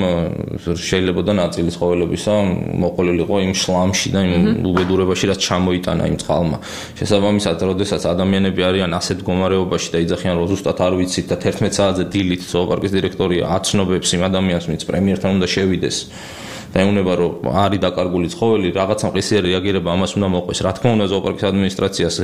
შეიძლება და ნაწილი ცხოველებისა მოყოლილიყო იმ შლამში და იმ უბედურებაში, რაც ჩამოიტანა იმ წყალმა. შესაბამისად, როდესაც ადამიანები არიან ასეთ მდგომარეობაში და იძახიან, რომ ზუსტად არ ვიცით და 11 საათზე დილით ზოოპარკის დირექტორია აცნობებს იმ ადამიანს, ვინც პრემიერთან უნდა შევიდეს. და ეუბნება რომ არის დაკარგული ცხოველი, რაღაცა მყისიერი რეაგირება ამას უნდა მოყვეს. რა თქმა უნდა, ზოოპარკის ადმინისტრაციას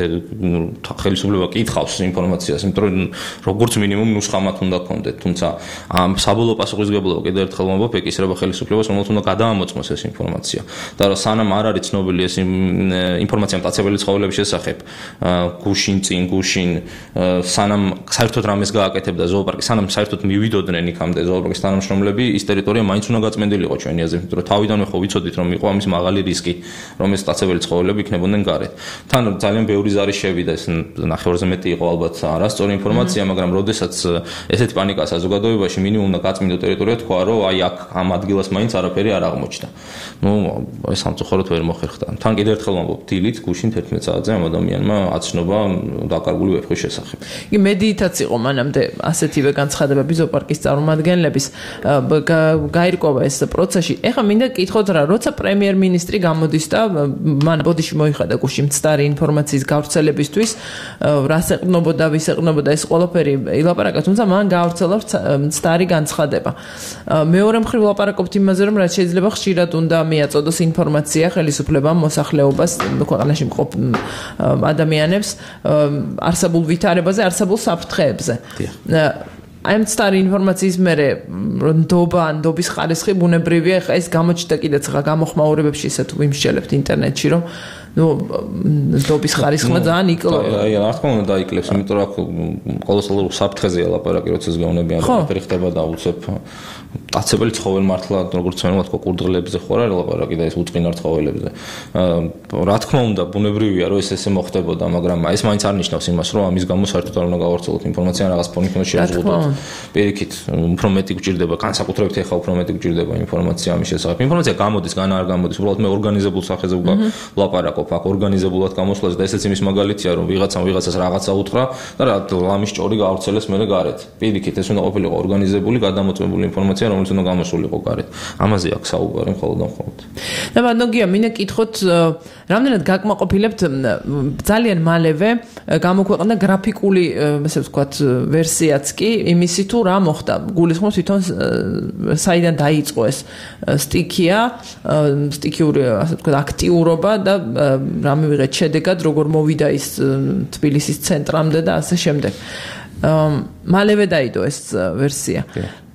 ხელისუფლება კითხავს ინფორმაციას, იმიტომ რომ როგორც მინიმუმ ნუსხამად უნდა კონდეთ, თუმცა ამ საბოლოო პასუხისმგებლობა კიდევ ერთხელ ვამბობ, ეკისრება ხელისუფლებას, რომელთაც უნდა გადაამოწმოს ეს ინფორმაცია. და რომ სანამ არ არის ცნობილი ეს ინფორმაცია მტაცებელი ცხოველების შესახებ, გუშინ, სანამ საერთოდ რამეს გააკეთებდა ზოოპარკი, სანამ საერთოდ მივიდოდნენ იქამდე ზოოპარკის თანამშრომლები, ის ტერიტორია მაინც უნდა გაწმენდილიყო ჩვენი აზრით. რომ თავიდანვე ხო ვიცოდით რომ იყო ამის მაღალი რისკი რომ ეს მტაცებელი ცხოველები იქნებოდნენ გარეთ. თან ძალიან ბევრი ზარი შევიდა ეს ნახევარზე მეტი იყო ალბათ არასწორი ინფორმაცია, მაგრამ როდესაც ესეთი პანიკა საზოგადოებაში მინიმუმ და გაწმინდო ტერიტორია თქვა რომ აი აქ ამ ადგილას მაინც არაფერი არ აღმოჩნდა. ეს სამწუხაროდ ვერ მოხერხდა. თან კიდევ ერთხელ ვამბობ, დილით გუშინ 11 საათზე ამ ადამიანმა აცნობა დაკარგული ვეფხვის შესახებ. კი მედიითაც იყო მანამდე ასეთივე განცხადებები ზოოპარკის წარმომადგენლების გაირკვევა ეს პროცესი. ეხლა მინდა გკითხოთ რა, როცა პრემიერ-მინისტრი გამოდის და მან ბოდიში მოიხადა გუშინ მცდარი ინფორმაციის გავრცელებისთვის, რას ეყნობოდა, ვის ეყნობოდა, ეს ყველაფერი ილაპარაკა, თუმცა მან გავრცელა მცდარი განცხადება. მეორე მხრივ ვლაპარაკობთ იმაზე, რომ რაც შეიძლება ხშირად უნდა მიაწოდოს ინფორმაცია ხელისუფლებამ მოსახლეობას, ქვეყანაში მყოფ ადამიანებს არსებულ ვითარებაზე, არსებულ საფრთხეებზე. აი მცდარი ინფორმაციის მერე ნდობის ხარისხი ბუნებრივია, ხა ეს გამოჩნდა კიდეც ხა გამოხმაურებებში ისე თუ ვიმსჯელებთ ინტერნეტში, რომ ნდობის ხარისხმა ძალიან იკლება. აი რა თქმა უნდა დაიკლებს, იმიტომ რომ კოლოსალურ საფრთხეზეა ლაპარაკი, როცა ზგეუნებიან და ხდება და უცებ მტაცებელი ცხოველი მართლა როგორც ვთქვა კურდღლებზე ხო არა ლაპარაკი და ეს უწყინარ ცხოველებზე. რა თქმა უნდა ბუნებრივია რომ ეს ესე მოხდებოდა, მაგრამ ეს მაინც არ ნიშნავს იმას, რომ ამის გამო საერთოდ არ უნდა გავავრცელოთ ინფორმაცია რაღაც ფონით უნდა შევზღუდოთ. პირიქით უფრო მეტი გვჭირდება, განსაკუთრებით ეხლა უფრო მეტი გვჭირდება ინფორმაცია ამის შესახებ. ინფორმაცია გამოდის, განა არ გამოდის, უბრალოდ მე ორგანიზებულ სახეზე ვლაპარაკობ, აქ ორგანიზებულად გამოსვლას და ესეც იმის მაგალითია, რომ ვიღაცამ ვიღაცას რაღაცა უთხრა და რა ლამის ჭორი გაავრცელეს მერე გარეთ. პირიქით ეს უნდა ყოფილიყო ორგანიზებული, გადამოწმებული ინფორმაცია, რომელიც უნდა გამოსულიყო გარეთ. ამაზე აქ საუბარი მხოლოდ და მხოლოდ. და ბანდოგია, მინდა გკითხოთ, რამდენად გაკმაყოფილებთ ძალიან მალევე გამოქვეყნდა გრაფიკული, ესე ვთქვათ, ვერსიაც კი იმისი თუ რა მოხდა. გულისხმობ თვითონ საიდან დაიწყო ეს სტიქიური, ასე ვთქვათ, აქტიურობა და რა მივიღეთ შედეგად, როგორ მოვიდა ის თბილისის ცენტრამდე და ასე შემდეგ. მალევე დაიდო ეს ვერსია.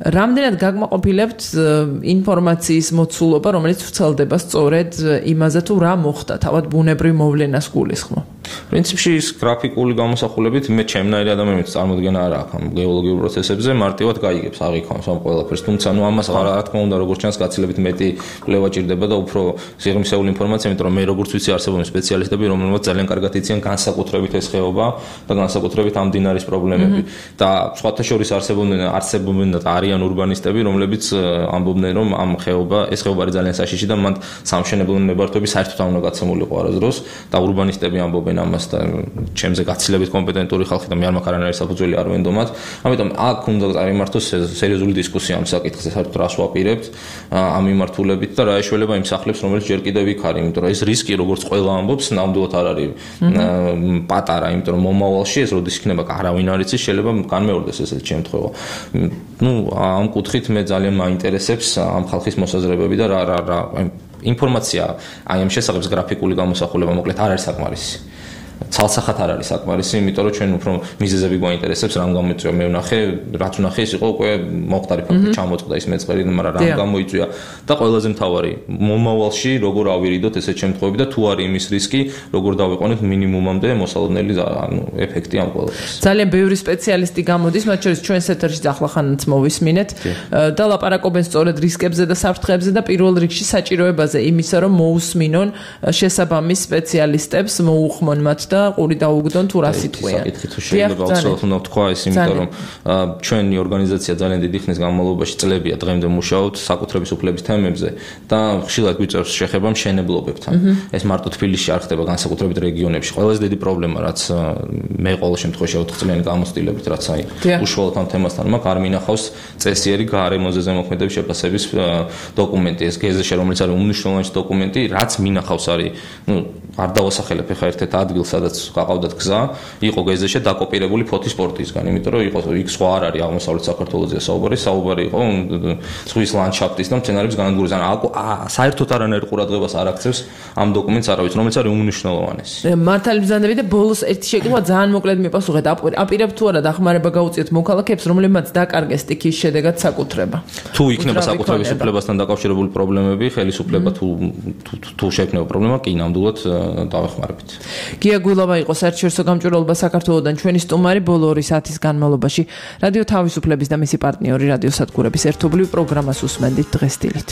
რამდენად გაკმაყოფილებთ ინფორმაციის მოცულობა, რომელიც ვრცელდება სწორედ იმაზე თუ რა მოხდა, თავად ბუნებრივ მოვლენას გულისხმობ. პრინციპში ის გრაფიკული გამოსახულებით მე ჩემნაირი ადამიანის წარმოდგენა არ აქვს ამ გეოლოგიურ პროცესებზე, მარტივად გაიგებს, აღიქონს ამ ყველაფერს. თუმცა ნუ ამას რა თქმა უნდა, როგორც ჩანს, გაცილებით მეტი კვლევა ჭირდება და უფრო სიღრმისეული ინფორმაცია, იმიტომ რომ მე როგორც ვიცი, არსებობენ სპეციალისტები, რომლებიც ძალიან კარგად იციან განსაკუთრებით ეს ხეობა და განსაკუთრებით ამ მდინარის პრობლემები. და სხვათა შორის არსებობენ და არიან ურბანისტები, რომლებიც ამბობდნენ, რომ ამ ეს ხეობა არის ძალიან საშიში და მანდ სამშენებლო ნებართვები საერთოდ არ უნდა გაცემულიყო არასდროს და ურბანისტები ამბობენ ამას და ჩემზე გაცილებით კომპეტენტური ხალხი და მე არ მაქვს არანაირი საფუძველი არ ვენდომათ. ამიტომ აქ უნდა წარიმართოს სერიოზული დისკუსია ამ საკითხზე, საერთოდ რას ვაპირებთ ამ მიმართულებით და რა ეშველება იმ სახლებს, რომელიც ჯერ კიდევ იქ არის, იმიტომ რომ ეს რისკი, როგორც ყველა ამბობს, ნამდვილად არ არის პატარა, იმიტომ რომ მომავალში ეს როდის იქნება, არავინ არ იცის, შეიძლება განმეორდეს ესეთი შემთხვევა. ამ კუთხით მე ძალიან მაინტერესებს ამ ხალხის მოსაზრებები და რა ინფორმაცია აი ამ შესახებ გრაფიკული გამოსახულება მოკლედ არ არის საკმარისი. ცალსახად არ არის საკმარისი, იმიტომ რომ ჩვენ უფრო მიზეზები გვაინტერესებს, რამ გამოიწვია მე ვნახე, რაც ვნახე ის იყო უკვე მოხდარი ფაქტი ჩამოწყდა ის მეწყერი, მაგრამ რამ გამოიწვია და ყველაზე მთავარი, მომავალში როგორ ავირიდოთ ესეთ შემთხვევები და თუ არის იმის რისკი, როგორ დავიყვანოთ მინიმუმამდე მოსალოდნელი ეფექტი ამ ყველაფერს. ძალიან ბევრი სპეციალისტი გამოდის, მათ შორის ჩვენს ეთერში ახლახანაც მოვისმინეთ და ლაპარაკობენ სწორედ რისკებზე და საფრთხეებზე და პირველ რიგში საჭიროებაზე იმისა, რომ მოусმინონ შესაბამის სპეციალისტებს, მოუხმონ მათ და ყური დაუგდონ თუ რა სიტყვია. შეიძლება უცბად უნდა ვთქვა ეს, იმიტომ რომ ჩვენი ორგანიზაცია ძალიან დიდი ხნის განმავლობაში წლებია დღემდე მუშაობთ საკუთრების უფლების თემებზე და ხშირად გვიწევს შეხება მშენებლობებთან. ეს მარტო თბილისში არ ხდება, განსაკუთრებით რეგიონებში. ყველაზე დიდი პრობლემა, რაც მე ყოველ შემთხვევაში 4 წლიანი გამოცდილებით, რაც აი უშუალოდ ამ თემასთან მაქვს, არ მინახავს წესიერი გარემოზე ზემოქმედების შეფასების დოკუმენტი, ეს გეზეშე, რომელიც არის უმნიშვნელოვანესი დოკუმენტი, რაც მინახავს არის, არ დავასახელებ ახლა ერთ-ერთ ადგილს, სადაც გაყავდათ გზა, იყო გეზეშე დაკოპირებული ფოთის პორტისგან, იმიტომ რომ იყო იქ სხვა არ არის აღმოსავლეთ საქართველოსია საუბარი იყო ზღვის ლანდშაფტის და მცენარეების განადგურების. საერთოდ არანაირ ყურადღებას არ აქცევს ამ დოკუმენტს არავის, რომელიც არის უმნიშვნელოვანესი. მართალი ბრძანები და ბოლოს ერთი შეკითხვა ძალიან მოკლედ მიპასუხეთ. აპირებთ თუ არა დახმარება გაუწიოთ მოქალაქეებს, რომლებმაც დაკარგეს სტიქიის შედეგად საკუთრება. თუ იქნება საკუთრების უფლებასთან დაკავშირებული პრობლემები, ხელისუფლება თუ შექმნება პრობლემა, კი ნამდვილად დავეხმარებით. გია გულავა იყო საერთაშორისო გამჭვირვალობა საქართველოსდან ჩვენი სტუმარი ბოლო 2 საათის განმავლობაში. რადიო თავისუფლების და მისი პარტნიორი რადიოსადგურების ერთობლივ პროგრამას უსმენდით დღეს დილით.